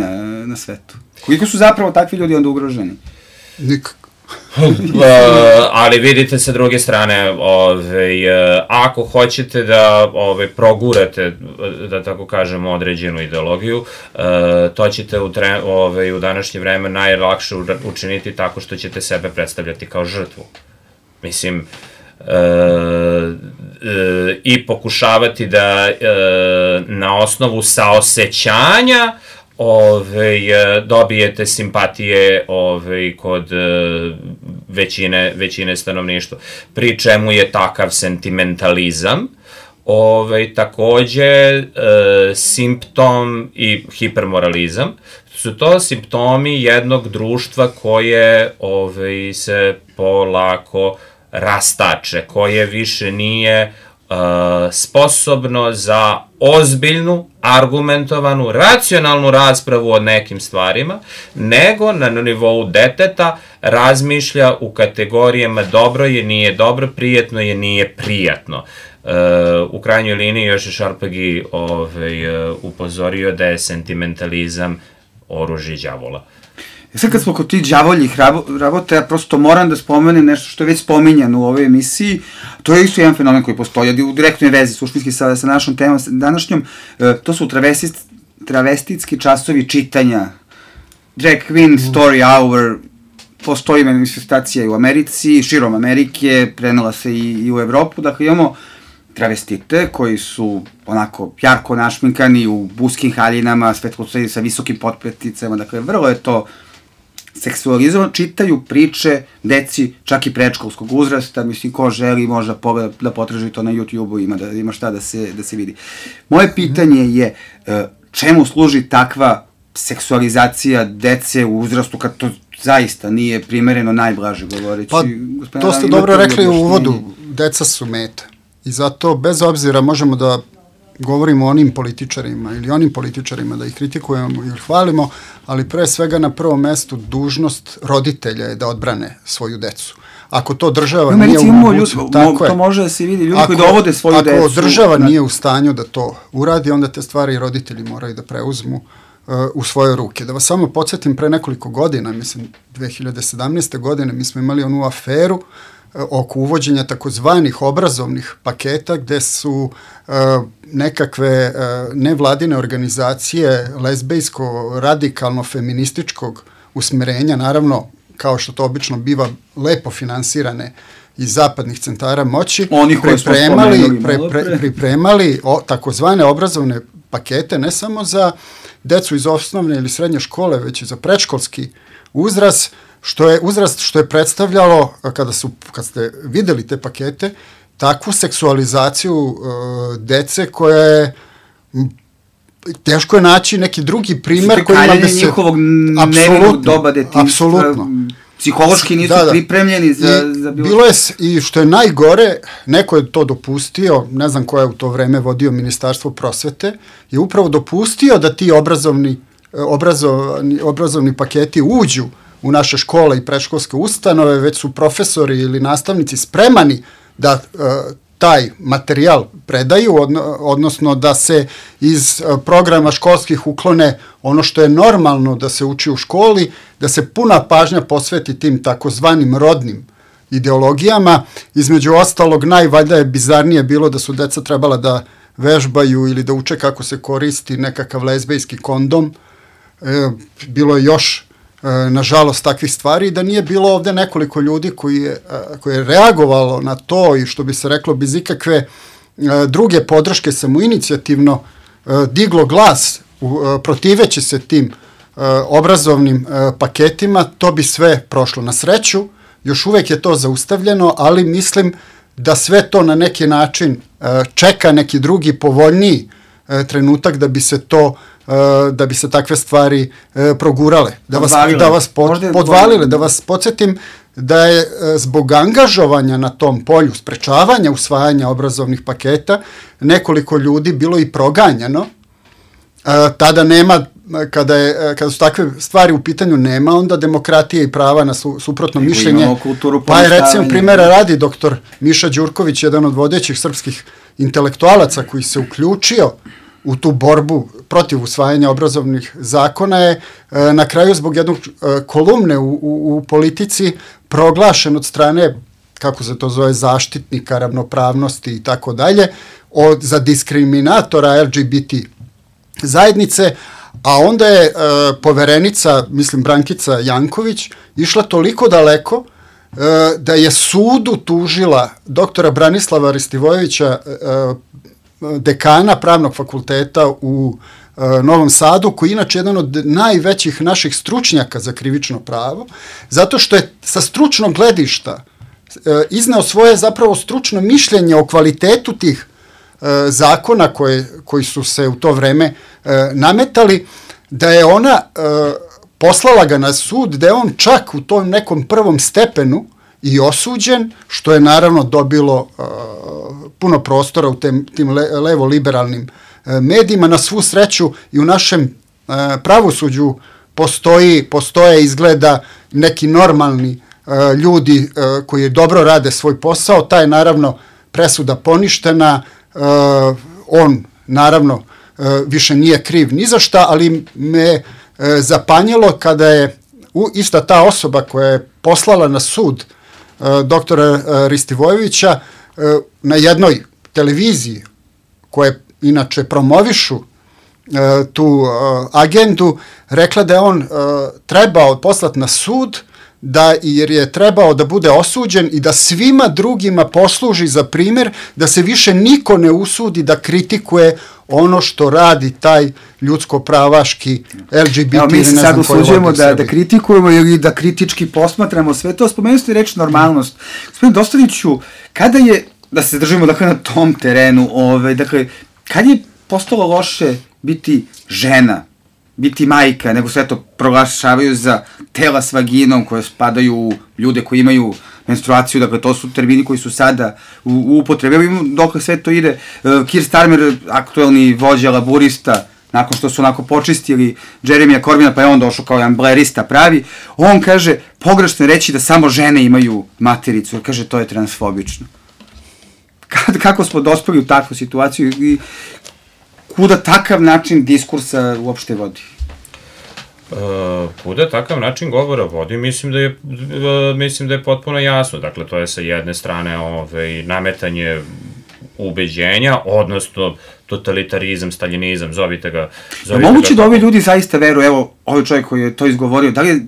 na svetu. Koliko su zapravo takvi ljudi onda ugroženi? Nikako. Ali vidite sa druge strane, ako hoćete da progurate, da tako kažemo, određenu ideologiju, to ćete u današnje vreme najlakše učiniti tako što ćete sebe predstavljati kao žrtvu. Mislim, i pokušavati da na osnovu saosećanja dobijete simpatije kod većine stanovništva, pri čemu je takav sentimentalizam takođe simptom i hipermoralizam. Su to simptomi jednog društva koje se polako rastače, koje više nije sposobno za ozbiljnu, argumentovanu, racionalnu raspravu o nekim stvarima, nego na nivou deteta razmišlja u kategorijama dobro je, nije dobro, prijetno je, nije prijatno. U krajnjoj liniji još je Šarpagi upozorio da je sentimentalizam oružje đavola. Sad kad smo kod tih đavoljih rabota, ja prosto moram da spomenem nešto što je već spominjano u ovoj emisiji. To je isto jedan fenomen koji postoji u direktnoj vezi, suštinski sa našom temom današnjom. To su travestitski časovi čitanja. Drag Queen Story Hour, postoji manifestacija i u Americi, širom Amerike, prenela se i u Evropu. Dakle, imamo travestite koji su onako jarko našminkani u buskim haljinama, svetlocrveni sa visokim potpeticama. Dakle, vrlo je to seksualizovano, čitaju priče deci, čak i predškolskog uzrasta, mislim, ko želi može da potraži to na YouTube-u, ima šta da se vidi. Moje pitanje je čemu služi takva seksualizacija dece u uzrastu kad to zaista nije primereno, najblaže govoreći? Pa, to ste dobro rekli u uvodu, deca su meta. I zato, bez obzira, možemo da govorimo o onim političarima ili onim političarima, da ih kritikujemo ili hvalimo, ali pre svega na prvom mestu dužnost roditelja je da odbrane svoju decu. Ako to država nije u mogućnosti, to može da se vidi, ljudi koji dovode svoju decu. Ako država nije u stanju da to uradi, onda te stvari roditelji moraju da preuzmu u svoje ruke. Da vas samo podsjetim, pre nekoliko godina, mislim 2017. godine, mi smo imali onu aferu oko uvođenja takozvanih obrazovnih paketa gde su nekakve nevladine organizacije lezbejsko, radikalno, feminističkog usmerenja, naravno, kao što to obično biva, lepo finansirane iz zapadnih centara moći, pripremali takozvane obrazovne pakete ne samo za decu iz osnovne ili srednje škole, već i za predškolski uzrast, što je predstavljalo, kad ste videli te pakete, takvu seksualizaciju dece koja je, teško je naći neki drugi primer koji ima da se... njihovog nevinog doba detinjstva. Apsolutno. Psihološki nisu pripremljeni za bilo... Bilo je, i što je najgore, neko je to dopustio, ne znam ko je u to vreme vodio Ministarstvo prosvete, je upravo dopustio da ti obrazovni paketi uđu u naše škole i predškolske ustanove, već su profesori ili nastavnici spremani da taj materijal predaju, odnosno da se iz programa školskih uklone ono što je normalno da se uči u školi, da se puna pažnja posveti tim takozvanim rodnim ideologijama. Između ostalog, najvaljda je bizarnije bilo da su deca trebala da vežbaju ili da uče kako se koristi nekakav lezbejski kondom. Bilo je još nažalost takvih stvari, da nije bilo ovde nekoliko ljudi koji je reagovalo na to i što bi se reklo bez ikakve druge podrške samoinicijativno diglo glas protiveći se tim obrazovnim paketima, to bi sve prošlo. Na sreću, još uvek je to zaustavljeno, ali mislim da sve to na neki način čeka neki drugi povoljniji trenutak da bi se takve stvari progurale, da vas podvalile, da vas podsjetim da je zbog angažovanja na tom polju, sprečavanja usvajanja obrazovnih paketa, nekoliko ljudi bilo i proganjano. Tada nema, kada su takve stvari u pitanju, nema onda demokratije i prava na suprotno mišljenje. Pa je, recimo, primjera radi doktor Miša Đurković, jedan od vodećih srpskih intelektualaca koji se uključio u tu borbu protiv usvajanja obrazovnih zakona, je na kraju zbog jednog kolumne u Politici proglašen od strane, kako se to zove, zaštitnika ravnopravnosti i tako dalje, za diskriminatora LGBT zajednice, a onda je poverenica, mislim Brankica Janković, išla toliko daleko da je sudu tužila doktora Branislava Ristivojevića, dekana Pravnog fakulteta u Novom Sadu, koji je inače jedan od najvećih naših stručnjaka za krivično pravo, zato što je sa stručnog gledišta izneo svoje zapravo stručno mišljenje o kvalitetu tih zakona koji su se u to vreme nametali, da je ona poslala ga na sud, da je on čak u tom nekom prvom stepenu i osuđen, što je naravno dobilo puno prostora u tim levo-liberalnim medijima. Na svu sreću i u našem pravosuđu postoje izgleda neki normalni ljudi koji dobro rade svoj posao. Ta je naravno presuda poništena, on naravno više nije kriv ni za šta, ali me zapanjilo kada je ista ta osoba koja je poslala na sud doktora Ristivojevića na jednoj televiziji koje inače promovišu tu agendu, rekla da je on trebao poslati na sud jer je trebao da bude osuđen i da svima drugima posluži za primjer da se više niko ne usudi da kritikuje ono što radi taj ljudsko-pravaški LGBT. Evo, mi se sad usuđujemo da kritikujemo ili da kritički posmatramo sve to. Spomenuli ste reč normalnost. Gospodin Dostaniću, kada je, da se držimo dakle, na tom terenu, dakle, kad je postalo loše biti žena, biti majka, nego sve to proglašavaju za tela s vaginom koje spadaju u ljude koji imaju menstruaciju, dakle to su termini koji su sada u upotrebi. Evo imamo dokle sve to ide. Keir Starmer, aktuelni vođa laburista, nakon što su onako počistili Jeremija Corbina, pa je on došao kao jedan blerista pravi, on kaže, pogrešno je reći da samo žene imaju matericu, jer kaže to je transfobično. Kako smo dospeli u takvu situaciju i kuda takav način diskursa uopšte vodi? Kuda takav način govora vodi, mislim da je potpuno jasno. Dakle, to je sa jedne strane nametanje ubeđenja, odnosno totalitarizam, staljinizam, zovite ga. Moguće da ovi ljudi zaista veruju, evo, ovaj čovjek koji je to izgovorio, da li,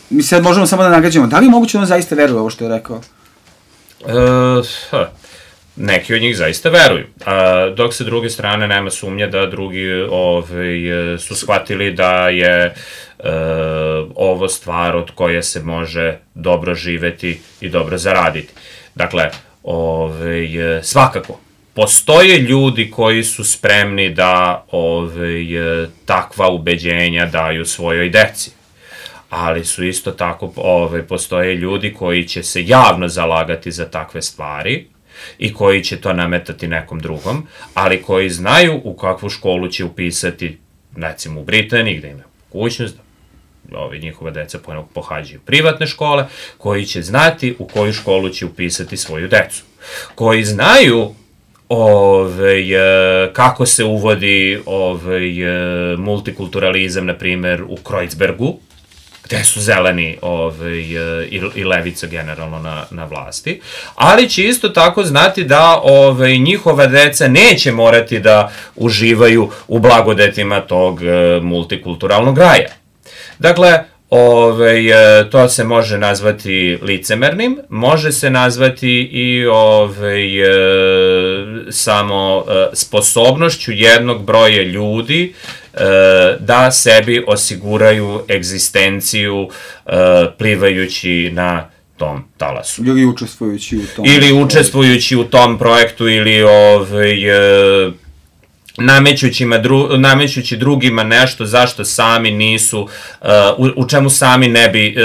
mi sad možemo samo da nagađamo, da li je moguće da on zaista veruje ovo što je rekao? Neki od njih zaista veruju, dok sa druge strane nema sumnje da drugi su shvatili da je ovo stvar od koje se može dobro živeti i dobro zaraditi. Dakle, svakako, postoje ljudi koji su spremni da takva ubeđenja daju svojoj deci, ali su isto tako, postoje ljudi koji će se javno zalagati za takve stvari i koji će to nametati nekom drugom, ali koji znaju u kakvu školu će upisati, recimo u Britaniji, gde ima mogućnost da njihova deca pohađaju privatne škole, koji će znati u koju školu će upisati svoju decu, koji znaju kako se uvodi multikulturalizam, na primer, u Kreuzbergu, gde su zeleni i levica generalno na vlasti, ali će isto tako znati da njihova deca neće morati da uživaju u blagodetima tog multikulturalnog raja. Dakle, to se može nazvati licemernim, može se nazvati i samo sposobnošću jednog broja ljudi da sebi osiguraju egzistenciju plivajući na tom talasu. Ili učestvujući u tom projektu, ili namećući drugima nešto zašto sami nisu, u čemu sami ne bi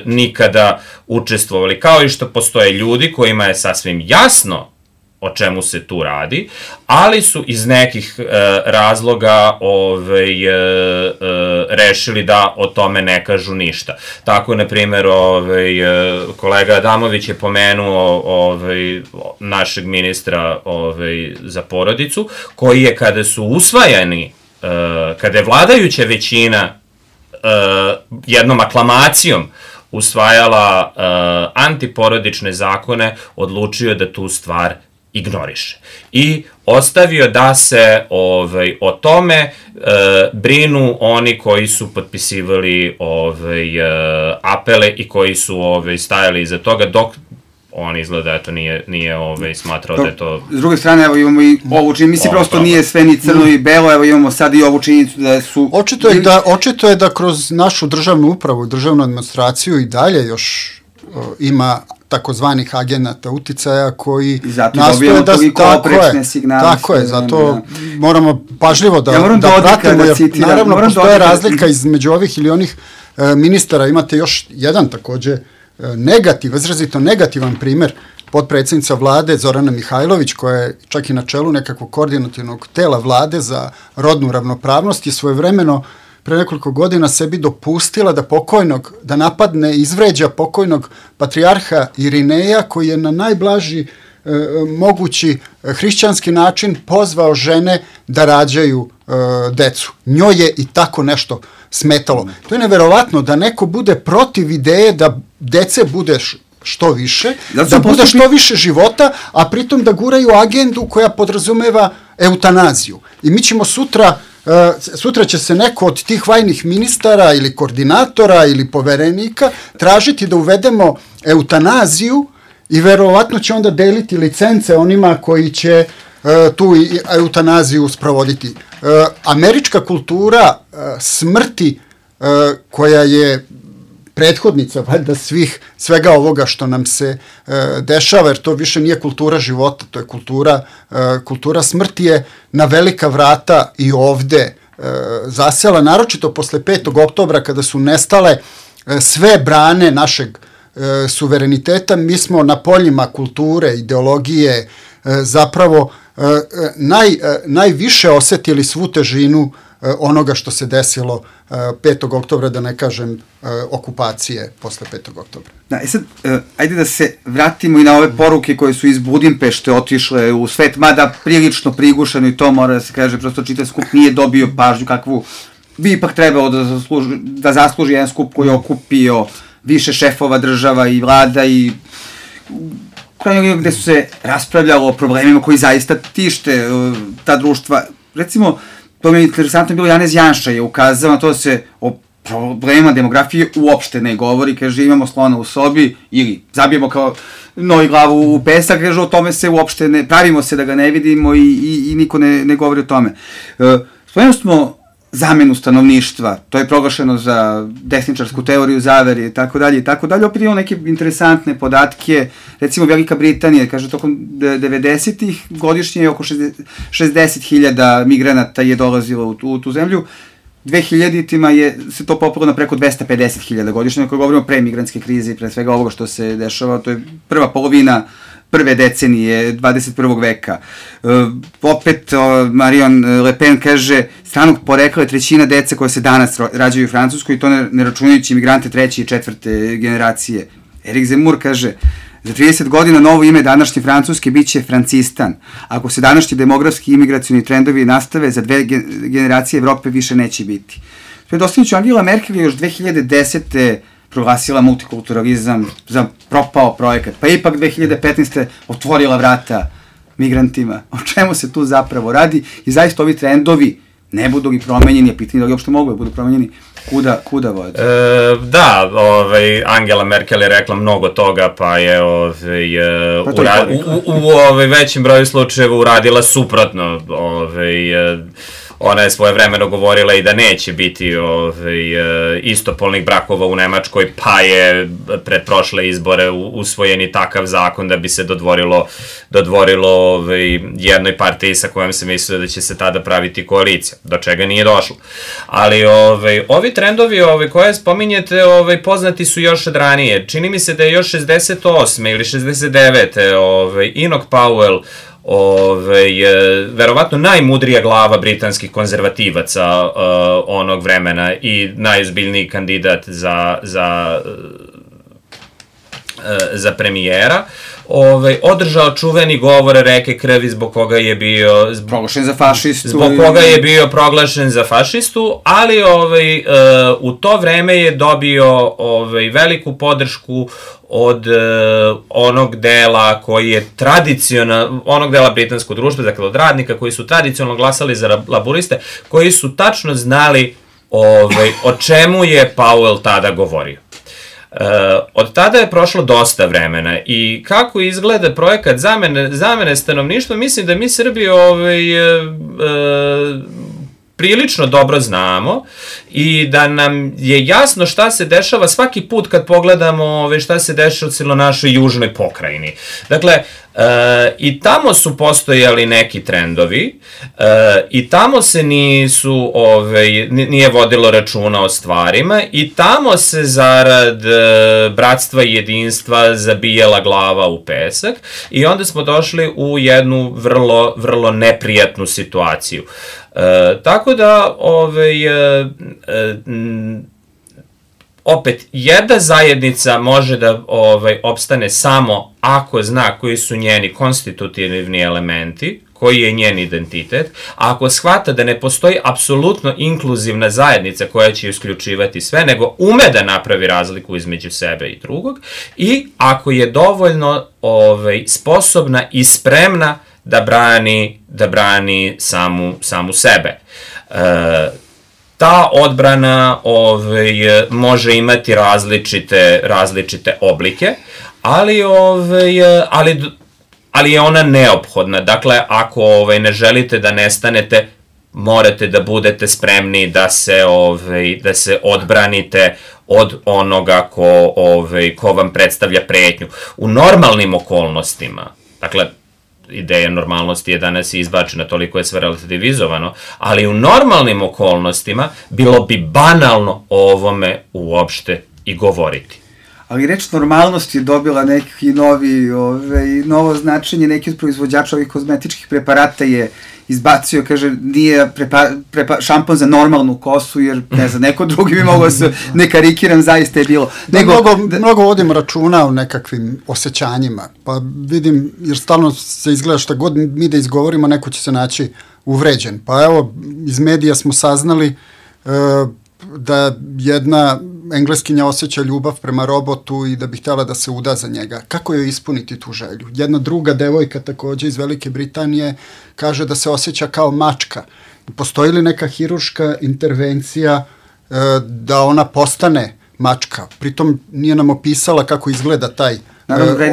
nikada učestvovali. Kao i što postoje ljudi kojima je sasvim jasno o čemu se tu radi, ali su iz nekih razloga rešili da o tome ne kažu ništa. Tako, na primjer, kolega Adamović je pomenuo našeg ministra za porodicu, koji je, kada su usvajani, kada je vladajuća većina jednom aklamacijom usvajala antiporodične zakone, odlučio da tu stvar ignoriše. I ostavio da se o tome brinu oni koji su potpisivali apele i koji su stajali iza toga, dok on izgleda nije smatrao da je to... S druge strane, evo imamo i ovu činjenicu, mislim prosto nije sve ni crno i belo, evo imamo sad i ovu činjenicu da su... Očito je da kroz našu državnu upravu, državnu administraciju i dalje još ima takozvanih agenata uticaja koji nastoje da... Tako je, zato moramo pažljivo da pratimo, jer naravno postoje razlika između ovih ili onih ministara. Imate još jedan takođe izrazito negativan primer potpredsjednica vlade Zorana Mihajlović, koja je čak i na čelu nekakvog koordinativnog tela vlade za rodnu ravnopravnost, je svojevremeno pre nekoliko godina sebi dopustila da napadne i izvređa pokojnog patrijarha Irineja, koji je na najblaži mogući hrišćanski način pozvao žene da rađaju decu. Njoj je i tako nešto smetalo. To je neverovatno da neko bude protiv ideje da dece bude što više, da bude što više života, a pritom da guraju agendu koja podrazumeva eutanaziju. I mi ćemo sutra će se neko od tih vajnih ministara ili koordinatora ili poverenika tražiti da uvedemo eutanaziju i verovatno će onda deliti licence onima koji će tu eutanaziju sprovoditi. Američka kultura smrti, koja je prethodnica valjda svega ovoga što nam se dešava, jer to više nije kultura života, to je kultura smrti, je na velika vrata i ovde zasela, naročito posle 5. oktobra kada su nestale sve brane našeg suvereniteta. Mi smo na poljima kulture, ideologije zapravo najviše osetili svu težinu onoga što se desilo 5. oktobra, da ne kažem okupacije posle 5. oktobra. Da, sad, ajde da se vratimo i na ove poruke koje su iz Budimpešte otišle u svet, mada prilično prigušeno i to mora da se kaže, prosto čitav skup nije dobio pažnju kakvu bi ipak trebalo da zasluži jedan skup koji je okupio više šefova država i vlada i krajnjeg gde su se raspravljalo o problemima koji zaista tište ta društva. Recimo, to mi je interesantno bilo, Janez Janša je ukazao na to da se o problema demografije uopšte ne govori, kaže imamo slona u sobi ili zabijemo kao novi glavu u pesak, kaže o tome se uopšte ne, pravimo se da ga ne vidimo i niko ne govori o tome. Spomenuli smo zamenu stanovništva, to je proglašeno za desničarsku teoriju zavere i tako dalje, opet imamo neke interesantne podatke, recimo Velika Britanija, kaže tokom 90-ih godišnje je oko 60.000 migranata je dolazilo u tu zemlju, 2000-ima se to popelo na preko 250.000 godišnje, ako govorimo pre migrantske krize i pre svega ovoga što se dešava, to je prva polovina prve decenije 21. veka. Opet Marion Le Pen kaže, stranog porekla je trećina dece koje se danas rađaju u Francuskoj i to ne računajući imigrante 3. i 4. generacije. Erik Zemmour kaže, za 30 godina novo ime današnje Francuske biće Francistan. Ako se današnji demografski i imigracioni trendovi nastave, za 2 generacije Evrope više neće biti. Predostavniću, Angela Merkel je još 2010. proglasila multikulturalizam za propao projekat, pa ipak 2015. otvorila vrata migrantima. O čemu se tu zapravo radi? I zaista ovi trendovi ne budu li promenjeni, je pitanje da li uopšte mogu da budu promenjeni, kuda vode? Da, Angela Merkel je rekla mnogo toga, pa je u većim broju slučajeva uradila suprotno. Ona je svojevremeno govorila i da neće biti istopolnih brakova u Nemačkoj, pa je pred prošle izbore usvojen i takav zakon da bi se dodvorilo jednoj partiji sa kojom se mislio da će se tada praviti koalicija, do čega nije došlo. Ali ovi trendovi koje spominjete poznati su još od ranije. Čini mi se da je još 68. ili 69. Enoch Powell, verovatno najmudrija glava britanskih konzervativaca onog vremena i najozbiljniji kandidat za premijera, održao čuveni govor reke krvi zbog koga je bio proglašen za fašistu. Zbog koga je bio proglašen za fašistu, ali u to vreme je dobio veliku podršku od onog dela koji je onog dela britanskog društva, dakle od radnika koji su tradicionalno glasali za laburiste, koji su tačno znali o čemu je Powell tada govorio. Od tada je prošlo dosta vremena i kako izgleda projekat zamene stanovništva, mislim da mi Srbi prilično dobro znamo i da nam je jasno šta se dešava svaki put kad pogledamo šta se dešava u našoj južnoj pokrajini. Dakle, I tamo su postojali neki trendovi i tamo se nije vodilo računa o stvarima i tamo se zarad bratstva i jedinstva zabijala glava u pesak i onda smo došli u jednu vrlo, vrlo neprijatnu situaciju. Tako da opet, jedna zajednica može da opstane samo ako zna koji su njeni konstitutivni elementi, koji je njen identitet, a ako shvata da ne postoji apsolutno inkluzivna zajednica koja će isključivati sve, nego ume da napravi razliku između sebe i drugog, i ako je dovoljno sposobna i spremna da brani samu sebe. Ta odbrana može imati različite oblike, ali je ona neophodna. Dakle, ako ne želite da nestanete, morate da budete spremni da se odbranite od onoga ko vam predstavlja pretnju. U normalnim okolnostima, dakle, ideja normalnosti je danas izbačena, toliko je sve relativizovano, ali u normalnim okolnostima bilo bi banalno o ovome uopšte i govoriti. Ali reč normalnost je dobila neki novo značenje, neki od proizvođača ovih kozmetičkih preparata je izbacio, kaže, nije šampon za normalnu kosu, jer, ne znam, neko drugi bi mogao se, ne karikiram, zaista je bilo. Mnogo vodim računa o nekakvim osjećanjima, pa vidim, jer stalno se izgleda šta god mi da izgovorimo, neko će se naći uvređen. Pa evo, iz medija smo saznali da jedna Engleskinja osjeća ljubav prema robotu i da bi htjela da se uda za njega. Kako joj ispuniti tu želju? Jedna druga devojka takođe iz Velike Britanije kaže da se osjeća kao mačka. Postoji li neka hirurška intervencija da ona postane mačka? Pritom nije nam opisala kako izgleda taj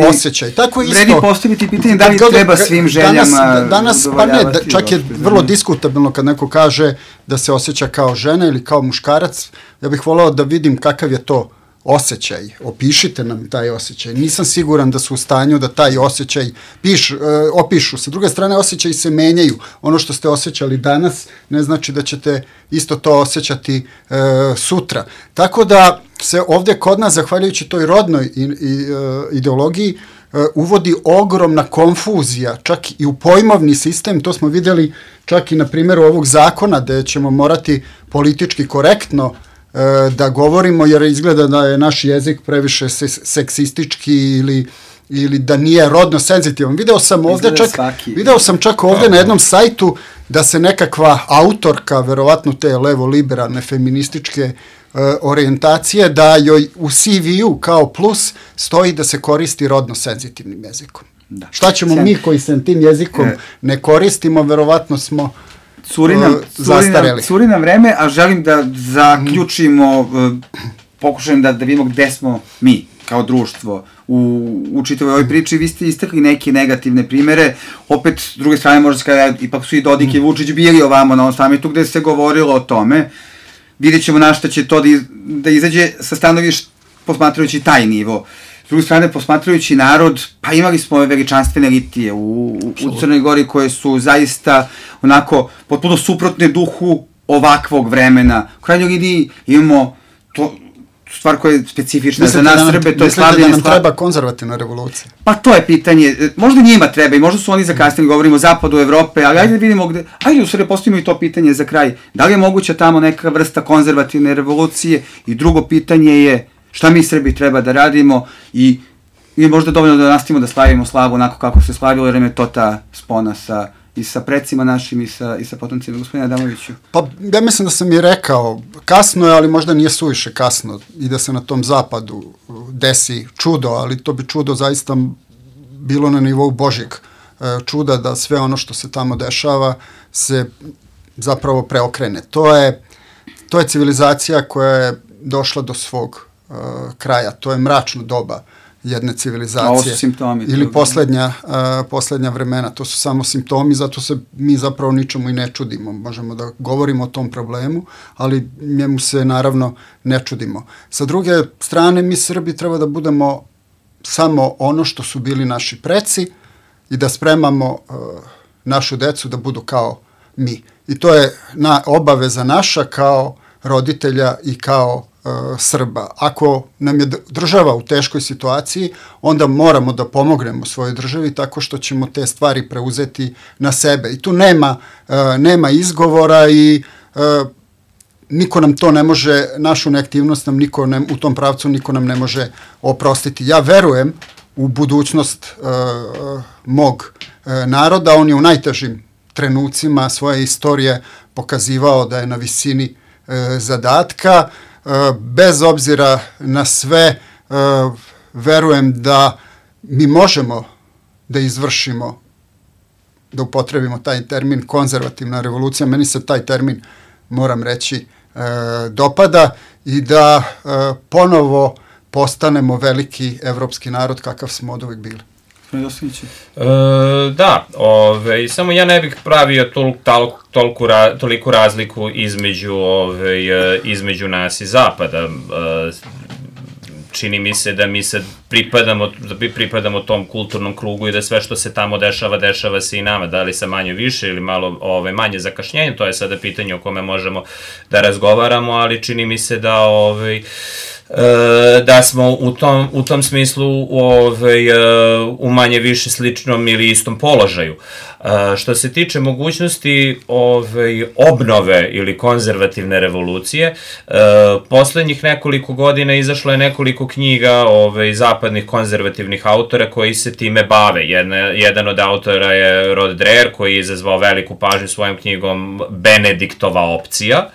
osjećaj. Tako isto. Vredi postaviti pitanje da li treba svim željama danas, pa ne, čak je vrlo diskutabilno kad neko kaže da se osjeća kao žena ili kao muškarac. Ja bih voleo da vidim kakav je to osjećaj. Opišite nam taj osjećaj. Nisam siguran da su u stanju da taj osjećaj opišu. Sa druge strane, osjećaji se menjaju. Ono što ste osjećali danas ne znači da ćete isto to osjećati sutra. Tako da se ovdje kod nas, zahvaljujući toj rodnoj ideologiji, uvodi ogromna konfuzija, čak i u pojmovni sistem. To smo vidjeli čak i na primjeru ovog zakona, gde ćemo morati politički korektno da govorimo, jer izgleda da je naš jezik previše seksistički ili da nije rodno senzitivan. Video sam čak ovdje na jednom sajtu da se nekakva autorka, verovatno te levo-liberalne feminističke orijentacije, da joj u CV-u kao plus stoji da se koristi rodno senzitivnim jezikom. Da. Šta ćemo mi koji se tim jezikom ne koristimo, verovatno smo zastareli. Curi nam vreme, a želim da zaključimo, pokušajem da vidimo gde smo mi kao društvo u čitavoj ovoj priči. Vi ste istakli neke negativne primere, opet s druge strane možda se kada ipak su i Dodik i Vučić bili ovamo na ovom samitu gde se govorilo o tome. Vidjet ćemo na šta će to da izađe sa stanovišta posmatrajući taj nivo. S druge strane, posmatrajući narod, pa imali smo ove veličanstvene litije u Crnoj Gori koje su zaista onako potpuno suprotne duhu ovakvog vremena. U krajnjoj liniji imamo to stvar koja je specifična za nas Srbe, to je slavljenje... Mislite da nam treba konzervativna revolucija? Pa to je pitanje. Možda njima treba i možda su oni zakasnili, govorimo o zapadu Evrope, ali ajde da vidimo gde... Ajde u Srbiji postavimo i to pitanje za kraj. Da li je moguća tamo neka vrsta konzervativne revolucije? I drugo pitanje je šta mi Srbi treba da radimo i možda dovoljno da nastavimo da slavimo slavu onako kako se slavilo, jer je to ta spona i sa precima našim i sa potomcima. Gospodine Adamoviću. Pa ja mislim da sam i rekao, kasno je, ali možda nije suviše kasno i da se na tom zapadu desi čudo, ali to bi čudo zaista bilo na nivou Božjeg čuda, da sve ono što se tamo dešava se zapravo preokrene. To je civilizacija koja je došla do svog kraja. To je mračno doba jedne civilizacije. A ovo su simptomi. Ili poslednja vremena. To su samo simptomi, zato se mi zapravo ničemu i ne čudimo. Možemo da govorimo o tom problemu, ali njemu se naravno ne čudimo. Sa druge strane, mi Srbi treba da budemo samo ono što su bili naši preci, i da spremamo našu decu da budu kao mi. I to je obaveza naša kao roditelja i kao Srba. Ako nam je država u teškoj situaciji, onda moramo da pomognemo svojoj državi tako što ćemo te stvari preuzeti na sebe. I tu nema izgovora i niko nam to ne može, našu neaktivnost nam u tom pravcu niko nam ne može oprostiti. Ja verujem u budućnost mog naroda, on je u najtežim trenucima svoje istorije pokazivao da je na visini zadatka. Bez obzira na sve, verujem da mi možemo da izvršimo, da upotrebimo taj termin konzervativna revolucija. Meni se taj termin, moram reći, dopada i da ponovo postanemo veliki evropski narod kakav smo od uvijek bili. Da, samo ja ne bih pravio toliku razliku između nas i Zapada. Čini mi se da mi sad pripadamo tom kulturnom krugu i da sve što se tamo dešava se i nama, da li sa manje više ili malo manje zakašnjenje, to je sada pitanje o kome možemo da razgovaramo, ali čini mi se da smo u tom smislu u manje više sličnom ili istom položaju. Što se tiče mogućnosti obnove ili konzervativne revolucije, poslednjih nekoliko godina izašlo je nekoliko knjiga zapadnih konzervativnih autora koji se time bave. Jedan od autora je Rod Dreher, koji je izazvao veliku pažnju svojom knjigom Benediktova opcija,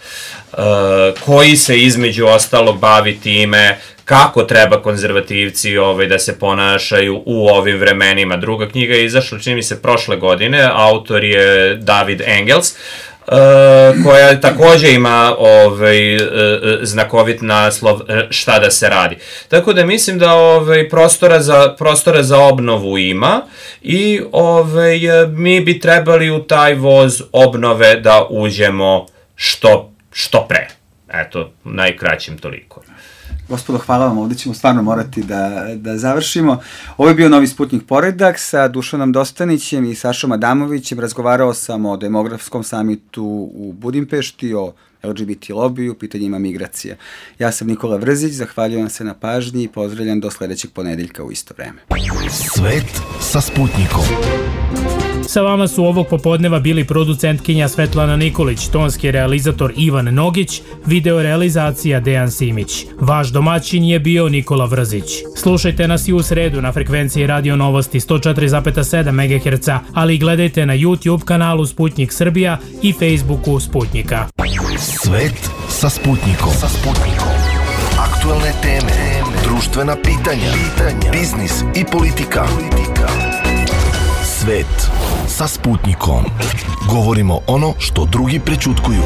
koji se između ostalog bavi time kako treba konzervativci da se ponašaju u ovim vremenima. Druga knjiga je izašla, čini mi se, prošle godine, autor je David Engels, koja takođe ima znakovit naslov Šta da se radi. Tako da mislim da prostora za obnovu ima i mi bi trebali u taj voz obnove da uđemo što pre. Eto, najkraćim toliko. Gospodo, hvala vam, ovdje ćemo stvarno morati da završimo. Ovo je bio Novi Sputnik poredak sa Dušanom Dostanićem i Sašom Adamovićem. Razgovarao sam o demografskom samitu u Budimpešti, o LGBT lobiju, pitanjima migracija. Ja sam Nikola Vrzić, zahvaljujem se na pažnji i pozdravljam do sledećeg ponedeljka u isto vreme. Svet sa Sputnikom. Sa vama su ovog popodneva bili producentkinja Svetlana Nikolić, tonski realizator Ivan Nogić, videorealizacija Dejan Simić. Vaš domaćin je bio Nikola Vrzić. Slušajte nas i u sredu na frekvenciji Radio Novosti 104,7 MHz, ali i gledajte na YouTube kanalu Sputnik Srbija i Facebooku Sputnika. Svet sa Sputnikom. Aktuelne teme, društvena pitanja, biznis i politika. Svet sa Sputnikom. Govorimo ono što drugi prećutkuju.